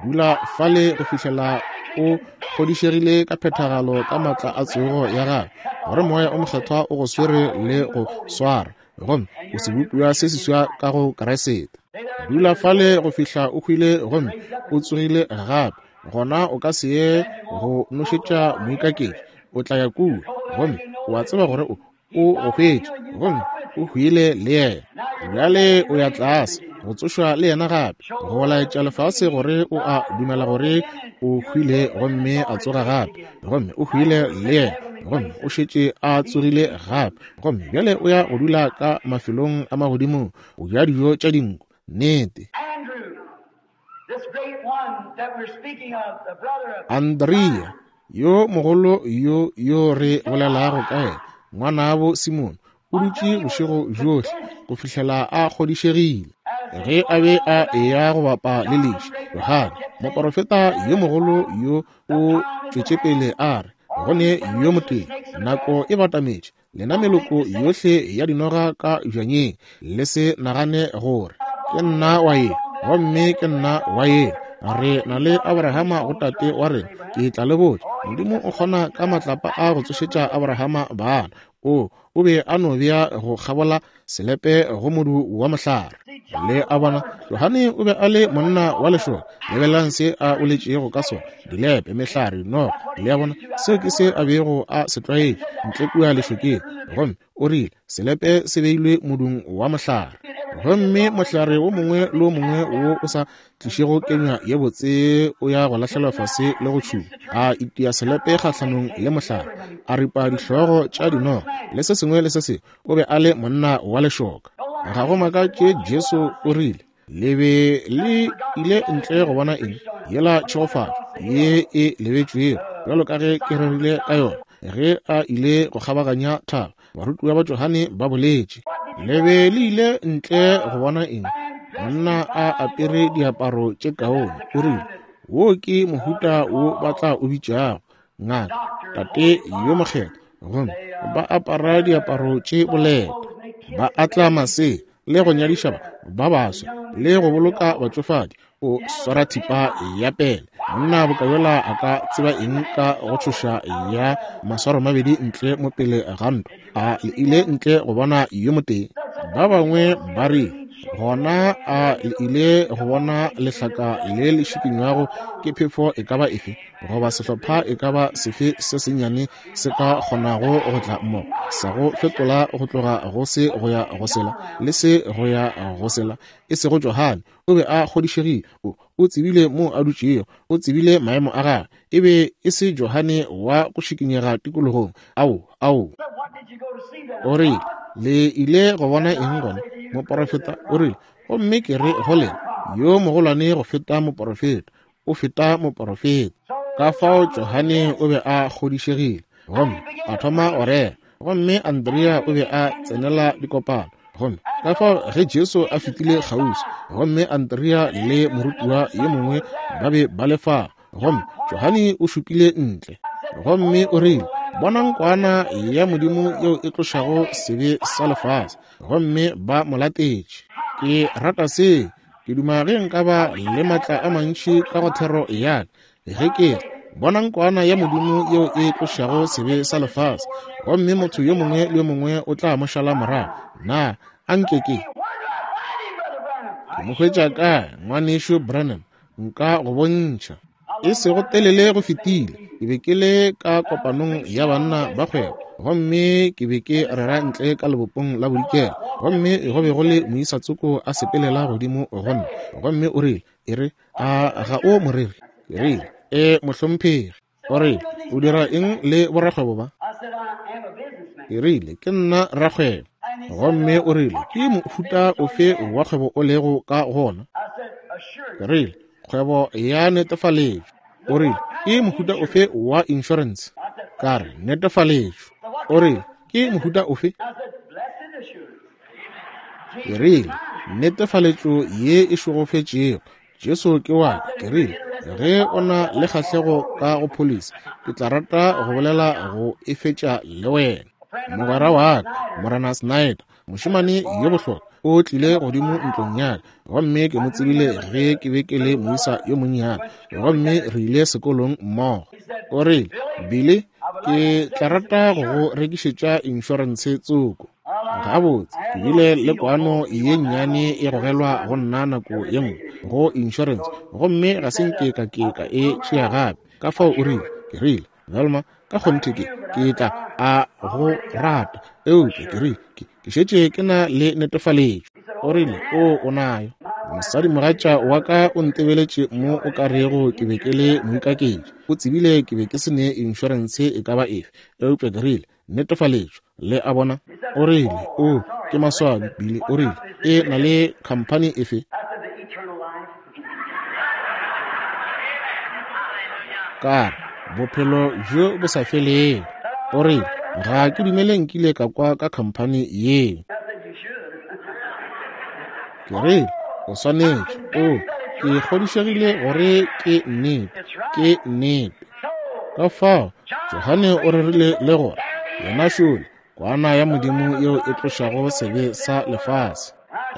dula fale go fihlela o kgodišegile ka phethagalo ka matla a tsogo ya gagwe, gore Moya o Mokgethwa o go swere le go swara, gomme o sebopiwa se seswa ka go Kriste. Dula fale go fihla o hwile gomme o tsogile gape. Gona o ka se ye go nošetša moikaketši, o tla ya kua gomme o a tseba gore o o go hwetše, gomme o hwile le yena. Bjale o ya tlase go tsošwa le yena gape, go laetša lefase gore o a dumela gore o hwile gomme a tsoga gape, gomme o hwile le yena, gomme o šetše a tsogile gape, gomme bjale o ya go dula ka mafelong a magodimong, o ja dijo tša dinku. Nnete. Andrea yo mogolo yo yo re bolelago ka yena, ngwanabo Simone, o dutše bošego bjohle go fihlela a kgodišegile. Ge a be a eya go bapa le leši, Johane moporofeta yo mogolo yo o tšwetše pele a re, go ne yo motee, nako e batametše, lena meloko yohle ya dinoga ka bjanyeng, le se nagane gore ke nna wa ye, gomme ke nna wa ye. Re na le Abrahama go tate wa rena. Ke tla le botša, Modimo o kgona ka matlapa a go tsošetša Abrahama bana. O o be a no bea go kgabola selepe go modu wa mohlare. Le a bona, Johane o be a le monna wa lešoka. Lebelelang se a boletšego ka sona, dilepe, mehlare, dinoga. Le a bona, seo ke se a bego a se tlwaetše ntle kua lešokeng. Gomme o rile selepe se beilwe modung wa mohlare, gomme mohlare wo mongwe le wo mongwe wo o sa tlišego kenywa ye botse o ya go lahlelwa fase le go tšhuma. A itia selepe kgahlanong le mohlare, a ripa dihlogo tša dinoga le se sengwe le se sengwe. O be a le monna wa lešoka. Ga go makatše Jesu o rile, le be le ile ntle go bona eng? Yela tšhegofatšo ye e lebetšwego, bjalo ka ge ke rerile ka yona. Ge a ile go kgabaganya thaba, barutiwa ba Johane ba boletše, le be le ile ntle go bona eng? Monna a apere diaparo tše kaone. O rile, wo ke mohuta wo ba tla o bitšago ngaka, tate yo mokgethwa, gomme ba apara diaparo tše boleta, ba atla masea le go nyadiša ba baswa le go boloka batšofadi. O swara thipa ya pele. Monna bokayola a ka tseba eng ka go tšhoša ya maswaro mabedi ntle mo pele ga ntwa? A le ile ntle go bona yo motee? Ba bangwe ba re, gona a le ile go bona lehlaka le le šikinywago ke phefo e ka ba efe, goba sehlopha e ka ba sefe se sennyane se ka kgonago go tla mmogo, sa go fetola go tloga go se go ya go sela le se go ya go sela. E sego Johane, o be a kgodišegile, o o tsebile mo a dutšego, o tsebile maemo a gagwe. E be e se Johane wa go šikinyega tikologong. Ao, ao. O rile, le ile go bona eng gona? Moporofeta. O rile, gomme ke re go lena, yo mogolwane go feta moporofeta, o feta moporofeta. Ka fao Johane o be a kgodišegile, gomme a thoma go rera. Gomme Andrea o be a tsenela dikopano. Gomme ka fao ge Jesu a fetile kgauswi, gomme Andrea le morutiwa yo mongwe ba be ba le fa, gomme Johane o šupile ntle, gomme o rile, Bonang kwana ya Modimo yeo e tlošago sebe sa lefase. Gomme ba mo latetše. Ke rata se. Ke duma ge nka ba le matla a mantši ka go thero ya ka. Ge ke re, bonang kwana ya Modimo yeo e tlošago sebe sa lefase, gomme motho yo mongwe le yo mongwe o tla mo šala morago. Na a nke ke ke mo hwetša kae, ngwanešu Branham? Nka go bontšha. E sego telele go fetile, ke be ke le ka kopanong ya banna ba kgwebo, gomme ke be ke rera ntle ka lebopong la bodikela, gomme go be go le moisa tsoko a sepelela godimo go nna, gomme o rile, e re, a ga o moreri? Ke rile, e mohlomphegi. O rile, o dira eng le borakgwebo ba? Ke rile, ke nna rakgwebo. Gomme o rile, ke mohuta ofe wa kgwebo o lego ka gona? Ke rile, kgwebo ya netefaletšo. O rile, ke mohuta ofe wa insurance? Ka re, netefaletšo. O rile, ke mohuta ofe? Ke rile, netefaletšo ye e šegofetšego. Jesu ke wa ka. Ke rile, ge o na le kgahlego ka go policy, ke tla rata go bolela go e fetša le wena. Mogwera wa ka, Morena Snyder, mošemane yo bohlokwa, o tlile godimo ntlong ya ka, gomme ke mo tsebile ge ke be ke le moisa yo monnyane, gomme re ile sekolong mmogo. O rile, Billy, ke tla rata go go rekišetša insurance tsoko. Gabotse, ke bile le kwano ye nnyane e gogelwa go nna nako ye nngwe go insurance, gomme ga se nke ka ke ka e tšea gape. Ka fao o rile, ke rile, Velma, ka kgonthe ke ke tla a go rata, eupša ke rile, ke ke šetše ke na le netefaletšo. O rile, o o nayo. Mosadimogatša wa ka o ntebeletše mo o ka rego ke be ke le moikaketši. O tsebile ke be ke se ne insurance e ka ba efe, eupša ke rile, netefaletšo. Le a bona? O rile, o ke maswabi, Billy. O rile, e na le khamphani efe? Ka re, bophelo bjo bo sa felego. O rile, ga ke dumele nkile ka kwa ka khamphani yeo. Ke rile, o swanetše. O, ke kgodišegile gore ke nnete. Ke nnete. Ka fao Johane o rerile le gore, yena šole, kwana ya Modimo yeo e tlošago sebe sa lefase.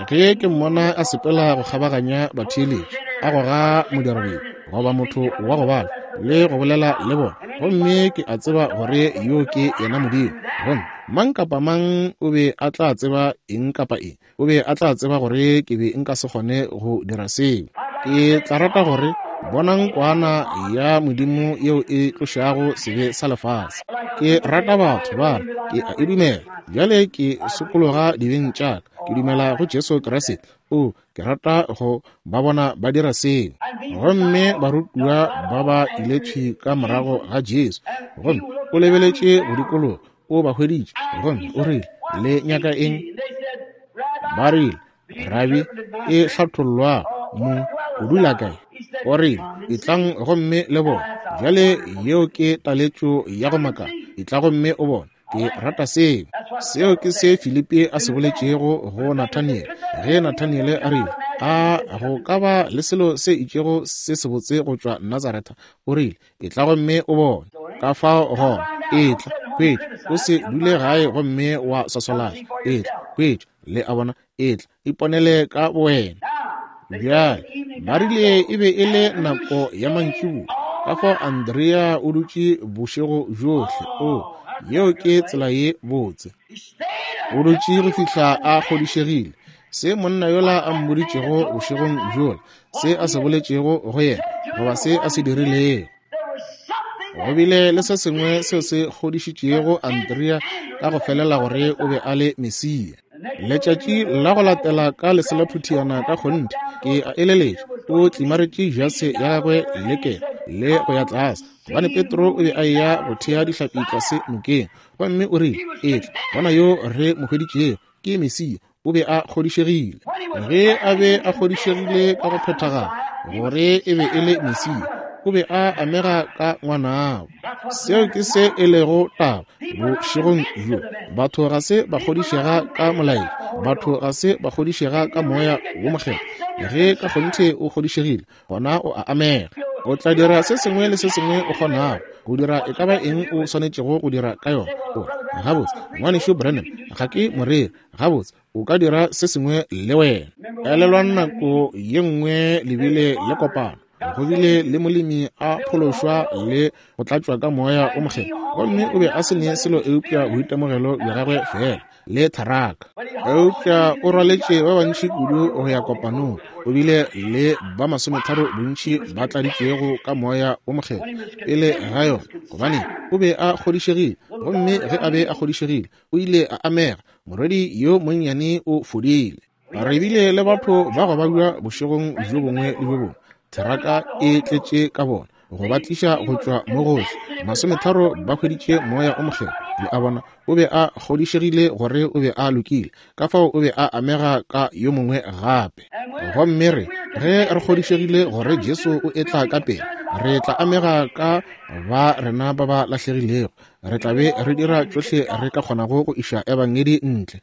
Ge ke mmona a sepela go kgabaganya batheeletši, a goga modirabedi goba motho wa go bala le go bolela le bona, gomme ke a tseba gore yo ke yena Modimo. Gomme mang kapa mang o be a tla tseba eng kapa eng, o be a tla tseba gore ke be nka se kgone go dira seo. Ke tla rata gore, bonang kwana ya Modimo yeo e tlošago sebe sa lefase. Ke rata batho ba re, ke a e dumela. Bjale ke sokologa dibeng tša ka, ke dumela go Jesu Kriste. O, ke rata go ba bona ba dira seo. Gomme barutiwa ba ba ile thwi ka morago ga Jesu, gomme o lebeletše go dikologa, o ba hweditše, gomme o rile, le nyaka eng? Ba rile, Rabi, e hlathollwa mo, o dula kae? O rile, etlang gomme le bone. Bjale yeo ke taletšo ya go makala. Etla gomme o bone. Ke rata seo. Seo ke se Filipi a se boletšego go Nathaniele. Ge Nathaniele a rile, a go ka ba le selo se itšego se sebotse go tšwa Nazaretha, o rile, etla gomme o bone. Ka fao gona, etla, hwetša, o se dule gae gomme wa swaswalatša. Etla, hwetša, le a bona, etla, iponele ka bowena. Bjale, ba rile e be e le nako ya mantšiboa, ka fao Andrea o dutše bošego bjohle. O, yeo ke tsela ye botse. O dutše go fihla a kgodišegile se monna yola a mmoditšego bošegong bjola, se a se boletšego go yena, goba se a se dirilego. Go bile le se sengwe seo se kgodišitšego Andrea ka go felela gore o be a le Mesia. Letšatši la go latela ka leselaphutiana ka kgonthe, ke a eleletša, o tlimaretše jase ya gagwe le le go ya tlase, gobane Petro o be a eya go thea dihlapi tlase nokeng, gomme o rile, etla, bona yo re mo hweditšego, ke Mesia. O be a kgodišegile. Ge a be a kgodišegile ka go phethagala gore e be e le Mesia, o be a amega ka ngwanabo. Seo ke se e lego taba bošegong bjo. Batho ga se ba kgodišega ka molaetša, batho ga se ba kgodišega ka moya wo mokgethwa. Ge ka kgonthe o kgodišegile, gona o a amega. O tla dira se sengwe le se sengwe o kgonago go dira e ka ba eng o swanetšego go dira ka yona. O re, gabotse, ngwanešu Branham, ga ke moreri. Gabotse, o ka dira se sengwe le wena. Elelwang nako ye nngwe le bile le kopano. Go bile le molemi a phološwa le go tlatšwa ka moya o mokgethwa, gomme o be a se ne selo eupša boitemogelo bja gagwe fela le tharaka. Eupša o rwaletše ba bantši kudu go ya kopanong. O bile le ba masometharo bontši ba tladitšwego ka moya o mokgethwa pele ga yona, gobane o be a kgodišegile. Gomme ge a be a kgodišegile, o ile a amega. Morwedi yo monnyane o fodile. Re bile le batho ba go babja bošegong bjo bongwe le bjo bongwe, theraka e tletše ka bona, go ba tliša go tšwa mo gohle. Masometharo ba hweditše moya o mokgethwa. Le a bona, o be a kgodišegile gore o be a lokile, ka fao o be a amega ka yo mongwe gape. Gomme re ge re kgodišegile gore Jesu o etla ka pele, re tla amega ka ba rena ba ba lahlegilego. Re tla be re dira tšohle re ka kgonago go iša ebangedi ntle.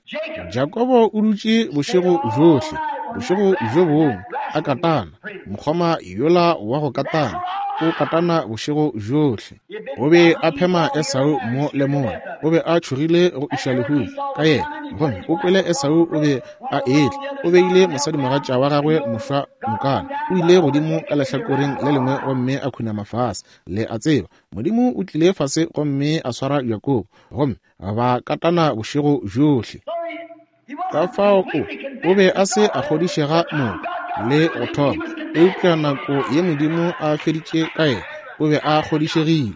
Jakobo o dutše bošego bjohle, bošego bjo bongwe a katana, mokgoma yola wa go katana, o katana bošego bjohle. O be a phema Esau mo le mola, o be a tšhogile go iša lehung ka yena, gomme o kwele Esau o be a etla. O beile mosadimogatša wa gagwe mošwa nokana, o ile godimo ka lehlakoreng le lengwe gomme a khunama fase. Le a tseba, Modimo o tlile fase gomme a swara Jakobo, gomme ba katana bošego bjohle. Ka fao o, o be a se a kgodišega moko le go thoma, eupša nako ye Modimo a feditše ka yena, o be a kgodišegile.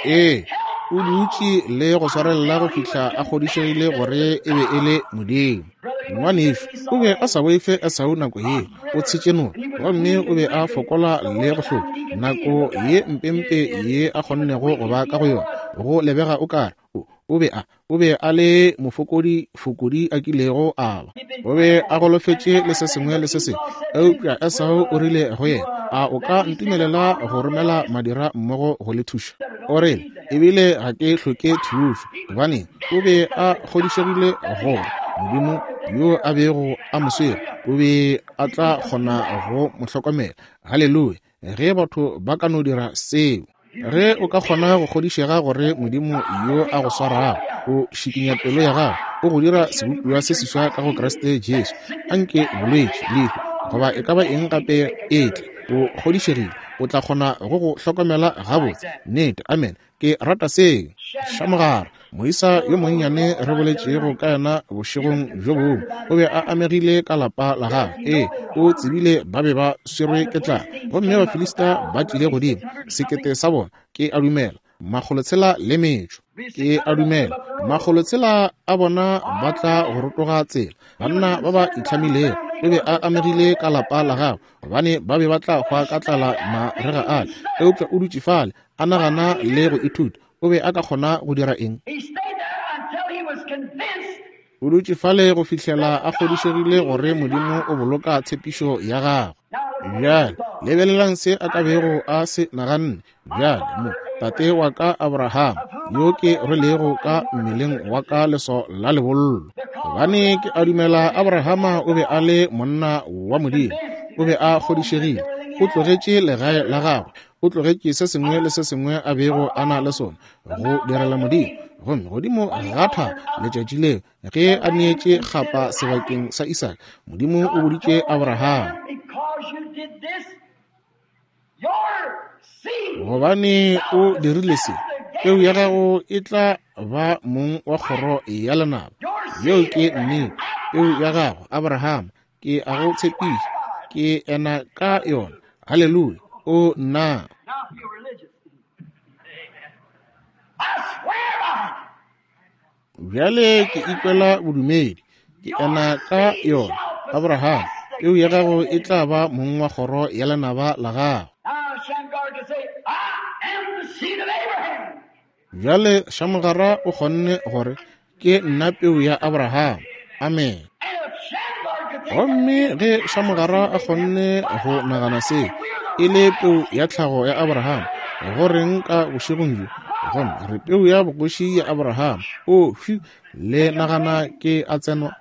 Ee, o dutše le go swarelela go fihla a kgodišegile gore e be e le Modimo. Ngwanešu o be a sa boife Esau nako ye, o tshetše noka, gomme o be a fokola le go hloka. Nako ye mpempe ye a kgonnego go ba ka go yona, go lebega o kare o, o be a o be a le mofokodi fokodi a kilego a ba. O be a golofetše le se sengwe le se sengwe, eupša Esau o rile go yena, a o ka ntumelela go romela madira mmogo go le thuša? O rile, ebile ga ke hloke thušo, gobane o be a kgodišegile gore Modimo yo a bego a mo swere o be a tla kgona go mo hlokomela. Haleluya! Ge batho ba ka no dira seo, ge o ka kgona go kgodišega gore Modimo yo a go swarago o šikinya pelo ya gago, o go dira sebopiwa se seswa ka go Kriste Jesu, anke bolwetši, lehu goba e ka ba eng gape e tle, o kgodišegile o tla kgona go go hlokomela gabotse. Nnete, amen. Ke rata seo. Shamogara, moisa yo monnyane re boletšego ka yena bošegong bjo bongwe, o be a amegile ka lapa la gagwe. Ee, o tsebile ba be ba swerwe ke tlala, gomme Bafilista ba tlile godimo, sekete sa bona, ke a dumela, makgolotshela le metšo. Ke a dumela, makgolotshela a bona ba tla go rotoga tsela, banna ba ba itlhamilego. O be a amegile ka lapa la gagwe, gobane ba be ba tla hwa ka tlala marega ale. Eupša o dutše fale a nagana le go ithuta. O be a ka kgona go dira eng? O dutše fale go fihlela a kgodišegile gore Modimo o boloka tshepišo ya gagwe. Bjale lebelelang se a ka bego a se naganne. Bjale mo tate wa ka Abraham, yo ke rwelego ka mmeleng wa ka leso la lebollo, gobane ke a dumela Abrahama o be a le monna wa Modimo. O be a kgodišegile. O tlogetše legae la gagwe, o tlogetše se sengwe le se sengwe a bego a na le sona go direla Modimo. Gomme godimo ga thaba letšatši leo ge a neetše kgapa sebakeng sa Isaka, Modimo o boditše Abraham, gobane o dirile se, peu ya gago e tla ba mong wa kgoro ya lenaba. Yeo ke nnete. Peu ya gago, Abraham, ke a go tshepiša, ke ena ka yona. Haleluya! O nna. Bjale ke ikwela bodumedi, ke ena ka yona. Abraham, peu ya gago e tla ba mong wa kgoro ya lenaba la gago. Bjale Shamogara o kgonne gore, ke nna peu ya Abraham. Amen. Gomme ge Shamogara a kgonne go nagana se e le peu ya tlhago ya Abraham, go reng ka bošegong bjo? Gomme re peu ya bogoši ya Abraham. O, phew, le nagana ke a tsenwa?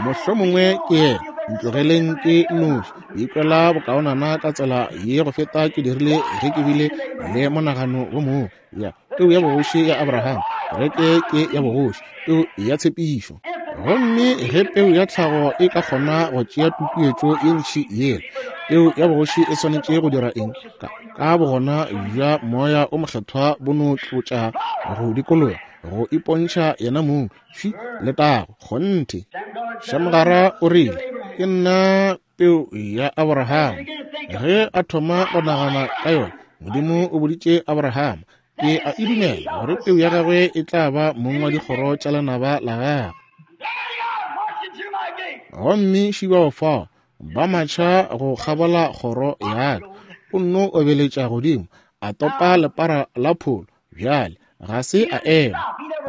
Mohlomongwe ke yena. Ntlogeleng ke nnoši. Ke ikwela bokaonana ka tsela ye go feta ke dirile ge ke bile le monagano wo mongwe. Ya peu ya bogoši ya Abraham, kereke ke ya bogoši, peu ya tshepišo. Gomme ge peu ya tlhago e ka kgona go tšea tutuetšo ye ntši yela, peu ya bogoši e swanetše go dira eng? Ka, ka bogona bja Moya o Mokgethwa bo no tlotša go dikologa, go ipontšha yena mong, fi letago, kgonthe. Shamgara o rile, ke nna peu ya Abraham. Ge a thoma go nagana ka yona, Modimo o boditše Abraham, ke a e dumela gore peu ya gagwe e tla ba mong wa dikgoro tša lenaba la gagwe. Gomme šibao fao ba matšha go kgabola kgoro ya ka, o nno obeletša godimo, a topa lepara la pholo. Bjale ga se a ema,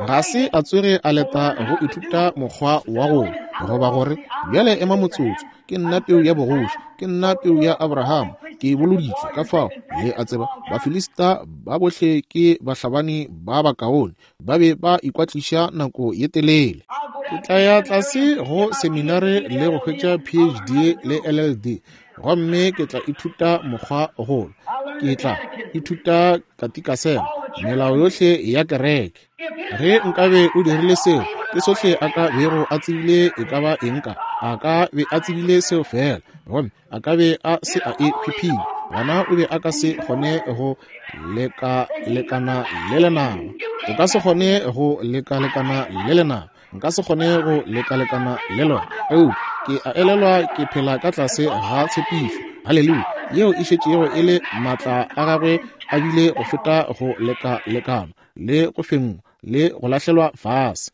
ga se a tsoge a leta go ithuta mokgwa wa go goba gore bjale ema motsotso, ke nna peu ya bogoši, ke nna peu ya Abraham, ke boloditšwe. Ka fao le a tseba Bafilista ba bohle ke bahlabani ba bakaone, ba be ba ikwatliša nako ye telele. Ke tla ya tlase go seminare le go hwetša P H D le L L D, gomme ke tla ithuta mokgwa golo, ke tla ithuta katikasema, melao yohle ya kereke. Ge nkabe o dirile seo, ke sohle a ka bego a tsebile e ka ba eng ka, a ka be a tsebile seo fela, gomme a ka be a se a e phiphile, gona o be a ka se kgone go leka-lekana le lenaba. O ka se kgone go leka-lekana le lenaba. Nka se kgone go leka-lekana le lona. Eupša ke a elelwa ke phela ka tlase ga tshepišo. Haleluya! Yeo e šetšego e le maatla a gagwe a bile go feta go leka-lekana le go fengwa le go lahlelwa fase.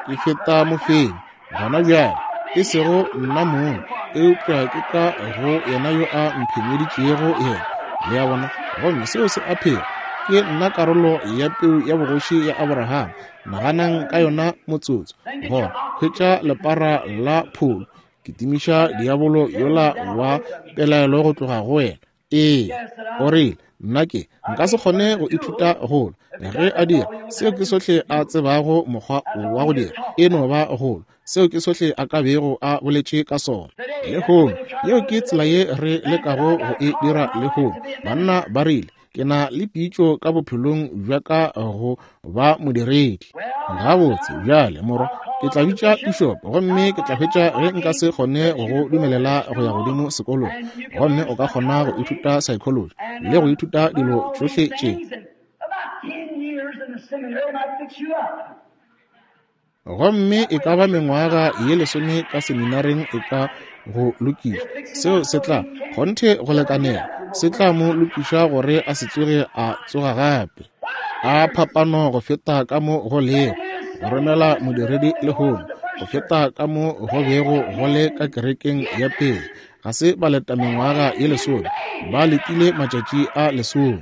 Ke feta mofenyi gona bjale, e sego nna mong, eupša ke ka go yena yo a mphenyeditšego yena. Le a bona? Gomme seo se a phela. Ke nna karolo ya peu ya bogoši ya Abraham. Naganang ka yona motsotso. Gona hwetša lepara la pholo, ke timiša diabolo yola wa pelaelo go tloga go wena. Ee, o rile, nna ke nka se kgone go ithuta golo. Ge a dira, seo ke sohle a tsebago mokgwa wa go dira, e no ba golo. Seo ke sohle a ka bego a boletše ka sona. Lehono, yeo ke tsela ye re lekago go e dira lehono. Banna ba rile, ke na le pitšo ka bophelong bja ka go ba modiredi. Gabotse, bjale morwa, ke tla bitša bishop, gomme ke tla hwetša ge nka se kgone go go dumelela go ya godimo sekolong, gomme o ka kgona go ithuta psychology le go ithuta dilo tšohle tše. Gomme e ka ba mengwaga ye lesome ka seminareng e ka go lokiša. Seo se tla kgonthe go lekanela, se tla mo lokiša gore a se tsoge a tsoga gape. A phapano go feta ka mo go lego go romela modiredi lehono, go feta ka mo go bego go le ka kerekeng ya pele. Ga se ba leta mengwaga ye lesome, ba letile matšatši a lesome.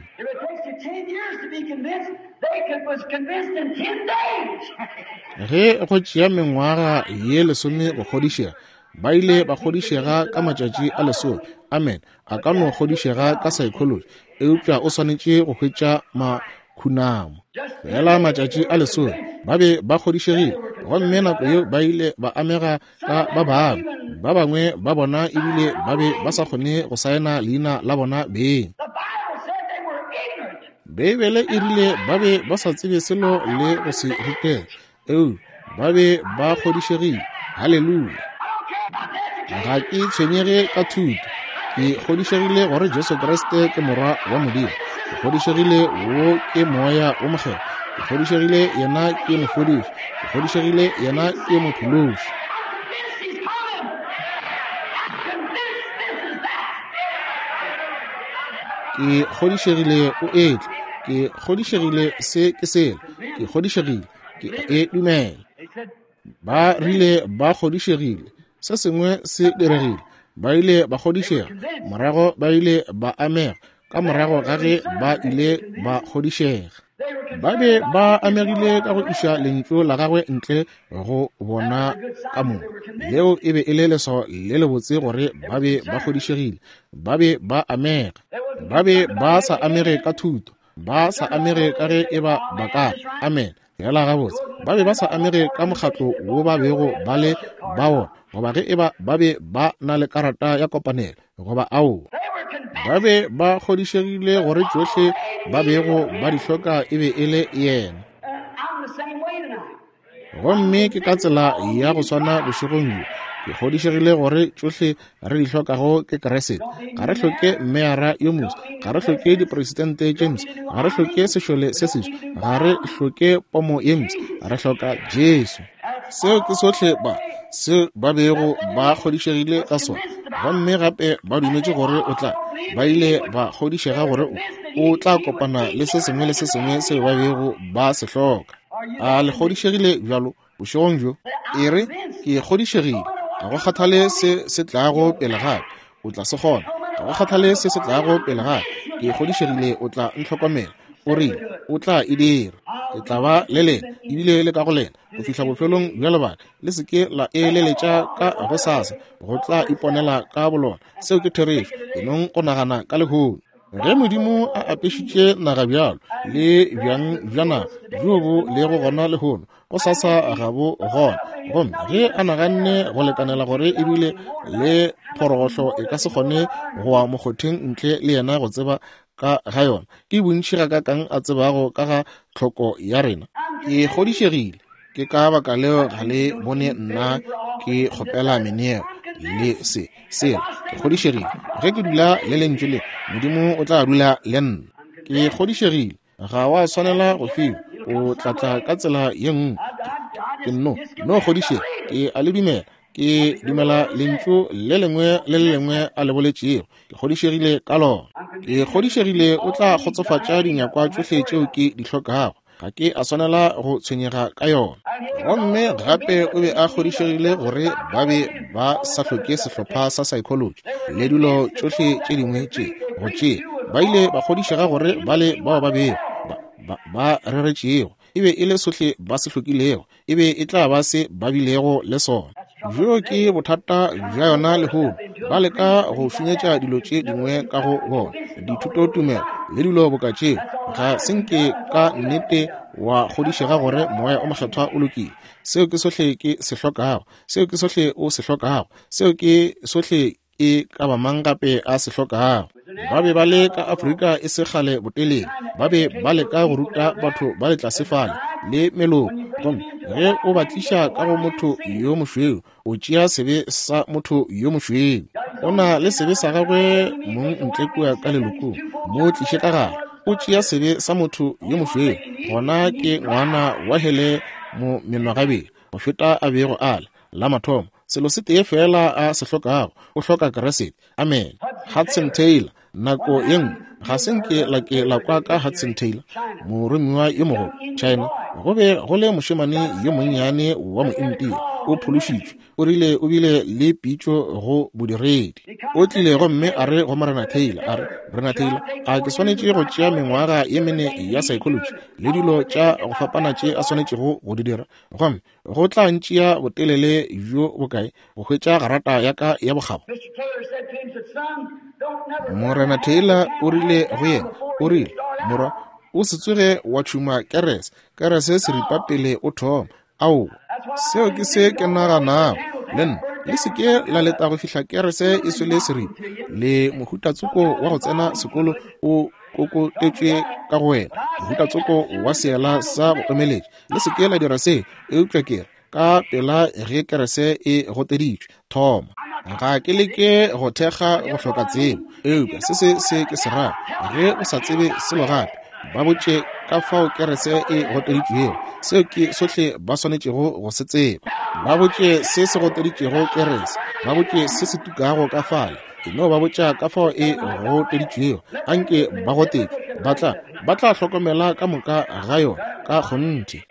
Ge go tšea mengwaga ye lesome go kgodišega, ba ile ba kgodišega ka matšatši a lesome. Amen. A ka no kgodišega ka psychology, eupša o swanetše go hwetša makhunamo. Fela matšatši a lesome ba be ba kgodišegile, gomme nako yeo ba ile ba amega ka ba bangwe. Ba bangwe ba bona ebile ba be ba sa kgone go saena leina la bona beng. Beibele e rile ba be ba sa tsebe selo le go se rutega, eupša ba be ba kgodišegile. Haleluya! Ga ke tshwenyege ka thuto. Ke kgodišegile gore Jesu Kriste ke Morwa wa Modimo. Ke kgodišegile wo ke Moya wo Mokgethwa. Ke kgodišegile yena ke mofodiši. Ke kgodišegile yena ke mophološi. Ke kgodišegile o etla. Ke kgodišegile se ke sela. Ke kgodišegile ke e dumela. Ba rile ba kgodišegile, se sengwe se diregile. Ba ile ba kgodišega, morago ba ile ba amega, ka morago ga ge ba ile ba kgodišega. Ba be ba amegile ka go iša lentšu la gagwe ntle go bona ka moka. Leo e be e le leswao le lebotse gore ba be ba kgodišegile. Ba be ba amega. Ba be ba sa amege ka thuto, ba sa amege ka ge e ba ba ka. Amen. Fela gabotse, ba be ba sa amege ka mokgatlo wo ba bego ba le ba wona. goba ge eba ba be ba na le karata ya kopanelo goba aowa. Ba be ba kgodišegile gore tšohle ba bego ba di hloka e be e le yena. Gomme ke ka tsela ya go swana bošegong bjo. Ke kgodišegile gore tšohle re di hlokago ke Kriste. Ga re hloke meyara yo moswa, ga re hloke dipresidente tše mpsha, ga re hloke sešole se seswa, ga re hloke pomo ye mpsha, re hloka Jesu. Seo ke sohle ba se ba bego ba kgodišegile ka sona. Gomme gape ba dumetše gore o tla, ba ile ba kgodišega gore o, o tla kopana le se sengwe le se sengwe seo ba bego ba se hloka. A le kgodišegile bjalo bošegong bjo? E re, ke kgodišegile. Ga go kgathale se se tlago pele gape, o tla se kgona. Ga go kgathale se se tlago pele gape, ke kgodišegile o tla ntlhokomela. O rile o tla e dira. Ke tla ba le lena, ebile le ka go lena, go fihla bofelong bja lebaka. Le se ke la eleletša ka gosasa, go tla iponela ka bolona. Seo ke therešo. E nong go nagana ka lehono. Ge Modimo a apešitše naga bjalo le bjang bja naga bjo bo lego gona lehono, gosasa ga bo gona. Gomme ge a naganne go lekanela gore ebile le phorogohlo e ka se kgone go wa mokgotheng ntle le yena go tseba ka ga yona, ke bontši gakakang a tsebago ka ga tlhoko ya rena. Ke kgodišegile. Ke ka baka leo ga le bone nna ke kgopela meneelo le se sela. Ke kgodišegile ge ke dula le lentšu le, Modimo o tla dula le nna. Ke kgodišegile ga wa swanela go fiwa, o tla tla ka tsela ye nngwe. Ke nno no kgodišega, ke a le dumela. Ke dumela lentšu le lengwe le le lengwe a le boletšego. Ke kgodišegile ka lona. Ke kgodišegile o tla kgotsofatša dinyakwa tšohle tšeo ke di hlokago. Ga ke a swanela go tshwenyega ka yona. Gomme gape o be a kgodišegile gore ba be ba sa hloke sehlopha sa psychology le dilo tšohle tše dingwe tše go tšea. Ba ile ba kgodišega gore ba le bao ba bego ba, ba, ba reretšego e be e le sohle ba se hlokilego, e be e tla ba se ba bilego le sona. Bjo ke bothata bja yona lehono. Ba leka go šunyetša dilo tše dingwe ka go bona, dithutotumelo le dilo boka tšeo. Ga se nke ka nnete wa kgodišega gore Moya o Mokgethwa o lokile. Seo ke sohle ke se hlokago. Seo ke sohle o se hlokago. Seo ke sohle e ka ba mang gape a se hlokago. Ba be ba le ka Afrika e se kgale botelele. Ba be ba leka go ruta batho ba le tlase fale le meloko. Gomme ge o ba tliša ka go motho yo mošweu, o tšea sebe sa motho yo mošweu. O na le sebe sa gagwe mong ntle kua ka lelokong, mo tliše ka gare. O tšea sebe sa motho yo mošweu, gona ke ngwana wa hele mo menwagabedi go feta a bego a le la mathomo. Selo se tee fela a se hlokago, o hloka Kriste. Amen. Hudson Taylor, nako ye nngwe ga se nke la ke la kwa ka Hudson Taylor, moromiwa yo mogolo China. Go be go le mošemane yo monnyane wa mointia, o phološitšwe. O rile o bile le pitšo go bodiredi. O tlile gomme a re go Morena Taylor, a re, Morena Taylor, a ke swanetše go tšea mengwaga ye mene ya psychology le dilo tša go fapana tše a swanetšego go di dira, gomme go tla ntšea botelele bjo bokae go hwetša garata ya ka ya bokgabo? Morena Taylor o rile go yena, o rile, morwa, o se tsoge wa tšhuma kerese, kerese seripa pele o thoma. Aowa, seo ke se ke naganago le nna. Le se ke la leta go fihla kerese e swele seripa. Le mohutatsoko wa go tsena sekolo o kokotetšwe ka go wena, mohutatsoko wa seela sa go omeletša. Le se ke la dira se, eupša ke re ka pela ge kerese e goteditšwe, thoma. Ga ke leke go thekga go hloka tsebo, eupša se se se ke se rago. Ge o sa tsebe selo gape, ba botše ka fao kerese e goteditšwego. Seo ke sohle ba swanetšego go se tseba. Ba botše se se goteditšego kerese, ba botše se se tukago ka fale. E no ba botša ka fao e goteditšwego. Anke ba gotetšwe, ba tla ba tla hlokomela ka moka ga yona ka kgonthe.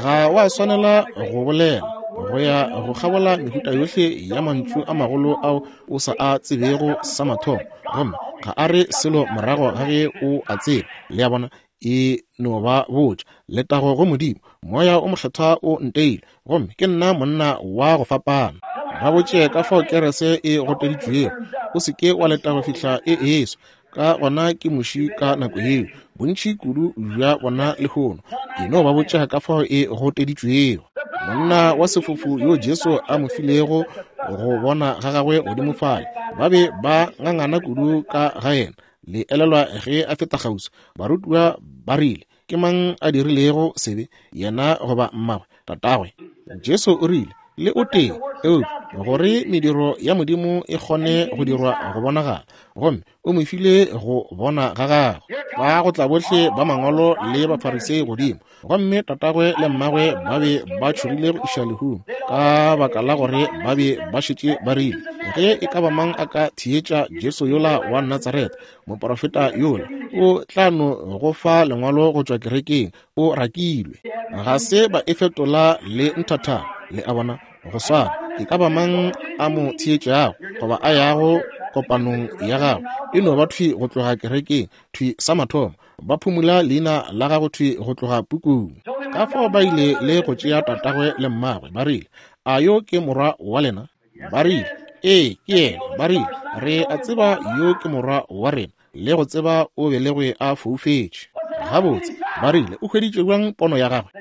Ga wa swanela go bolela go ya go kgabola mehuta yohle ya mantšu a magolo ao o sa a tsebego sa mathomo, gomme ga a re selo morago ga ge o a tseba. Le a bona, e no ba botša. Letago go Modimo, Moya o Mokgethwa o nteile, gomme ke nna monna wa go fapana. Ba botše ka fao kerese e goteditšwego. O se ke wa leta go fihla e eswa, ka gona ke muši ka nako yeo. Bontši kudu bja bona lehono. E no ba botša ka fao e goteditšwego. Monna wa sefofu yo Jesu a mo filego go bona ga gagwe godimo fale, ba be ba ngangana kudu ka ga yena. Le elelwa ge a feta kgauswi, barutiwa ba rile, ke mang a dirilego sebe, yena goba mmagwe, tatagwe? Jesu o rile, le o tee, eupša gore mediro ya Modimo e kgone go dirwa go bonagala, gomme o mo file go bona ga gagwe. Ba go tla bohle ba mangwalo le Bafarisei godimo, gomme tatagwe le mmagwe ba be ba tšhogile go iša lehung, ka baka la gore ba be ba šetše ba rile, ge e ka ba mang a ka theetša Jesu yola wa Natsaretha, moprofeta yola, o tla no go fa lengwalo go tšwa kerekeng, o rakilwe. Ga se ba e fetola le nthathana, le a bona, go swana. E ka ba mang a mo theetšago goba a yago kopanong ya gagwe, e no ba thwi go tloga kerekeng, thwi sa mathomo, ba phumula leina la gago thwi go tloga pukung. Ka fao ba ile le go tšea tatagwe le mmagwe, ba rile, a yo ke morwa wa lena? Ba rile, ee, ke yena. Ba rile, re a tseba yo ke morwa wa rena, le go tseba o belegwe a foufetše. Gabotse, ba rile, o hweditše bjang pono ya gagwe?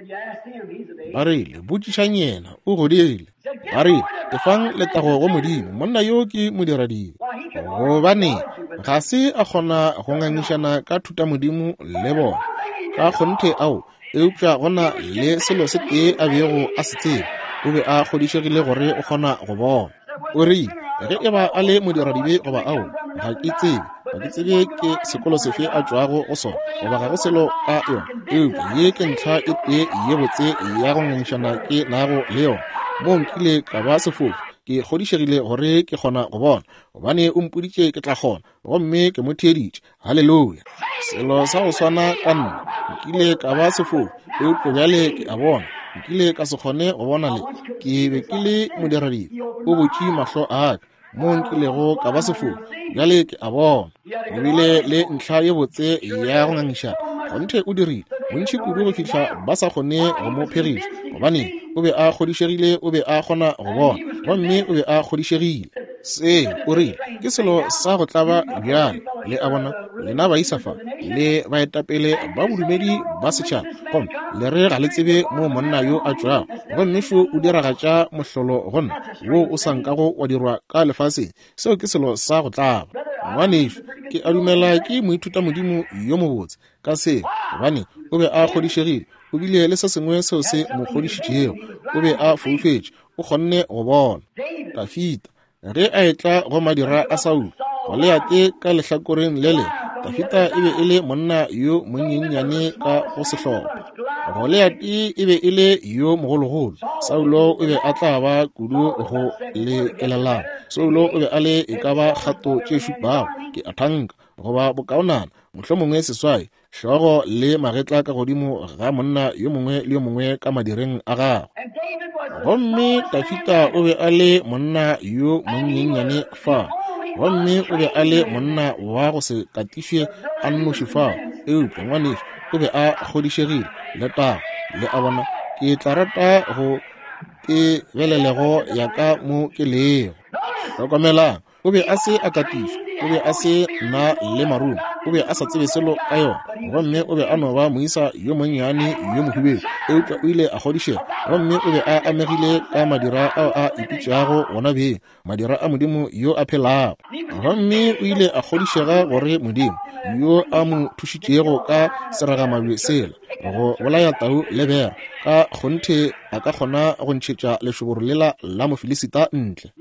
Ba rile, botšišang yena, o godile. Ba rile, efang letago go Modimo, monna yo ke modiradibe. Gobane ga se a kgona go ngangišana ka thutamodimo le bona, ka kgonthe ao, eupša gona le selo se tee a bego a se tseba, o be a kgodišegile gore o kgona go bona. O rile, ge e ba a le modiradibe goba ao, ga ke tsebe, ga ke tsebe ke sekolo sefe a tšwago go sona, goba ga go selo ka yona, eupša ye ke ntlha e tee ye botse ya go ngangišana ke nago le yona. Mo nkile ka ba sefofu, ke kgodišegile gore ke kgona go bona, gobane o mpoditše ke tla kgona, gomme ke mo theeditše. Haleluya! Selo sa go swana ka nna, nkile ka ba sefofu, eupša bjale ke a bona. Nkile ka se kgone go bona le, ke be ke le modiradibe, o butše mahlo a ka, mo nkilego ka ba sefofu, bjale ke a bona. O bile le ntlha ye botse ya go ngangišana, kgonthe o dirile bontši kudu go fihla ba sa kgone go mo phegiša, gobane o be a kgodišegile o be a kgona go bona, gomme o be a kgodišegile. Se o rile ke selo sa go tlaba bjale, le a bona, lena baisa fa le baetapele ba bodumedi ba setšhaba, gomme le re ga le tsebe mo monna yo a tšwago, gomme šo o diragatša mohlolo go nna wo o sa nkago wa dirwa ka lefaseng. Seo ke selo sa go tlaba. Ngwanešu, ke a dumela ke moithutamodimo yo mobotse ka seo, gobane o be a kgodišegile, o bile le se sengwe seo se mo kgodišitšego, o be a foufetše, o kgonne go bona. Dafita ge a etla go madira a Saulo, Goliate ka lehlakoreng le lengwe, Dafita e be e le monna yo monyenyane ka go sehlopha. Goliate e be e le yo mogologolo. Saulo o be a tla ba kudu go lekelelana. Saulo o be a le e ka ba kgato tše šupago, ke a thanka, goba bokaonana, mohlomongwe seswai, hlogo le magetla ka godimo ga monna yo mongwe le yo mongwe ka madireng a gagwe. Gomme Dafita o be a le monna yo monyenyane fa, gomme o be a le monna wa go se katišwe a nnoši fao, eupša ngwanešu o be a kgodišegile. Letago, le a bona, ke tla rata go tebelelego ya ka mo ke lego. Hlokomelang, o be a se a katišwa, o be a se na le marumo, o be a sa tsebe selo ka yona, gomme o be a no ba moisa yo monnyane yo mohubedu, eupša o ile a kgodišega, gomme o be a amegile ka madira ao a ipitšago wona beng, madira a Modimo yo a phelago. Gomme o ile a kgodišega gore Modimo yo a mo thušitšego ka seragamabje sela go bolaya tau le bera, ka kgonthe a ka kgona go ntšhetša lešoboro lela la Mofilisita ntle.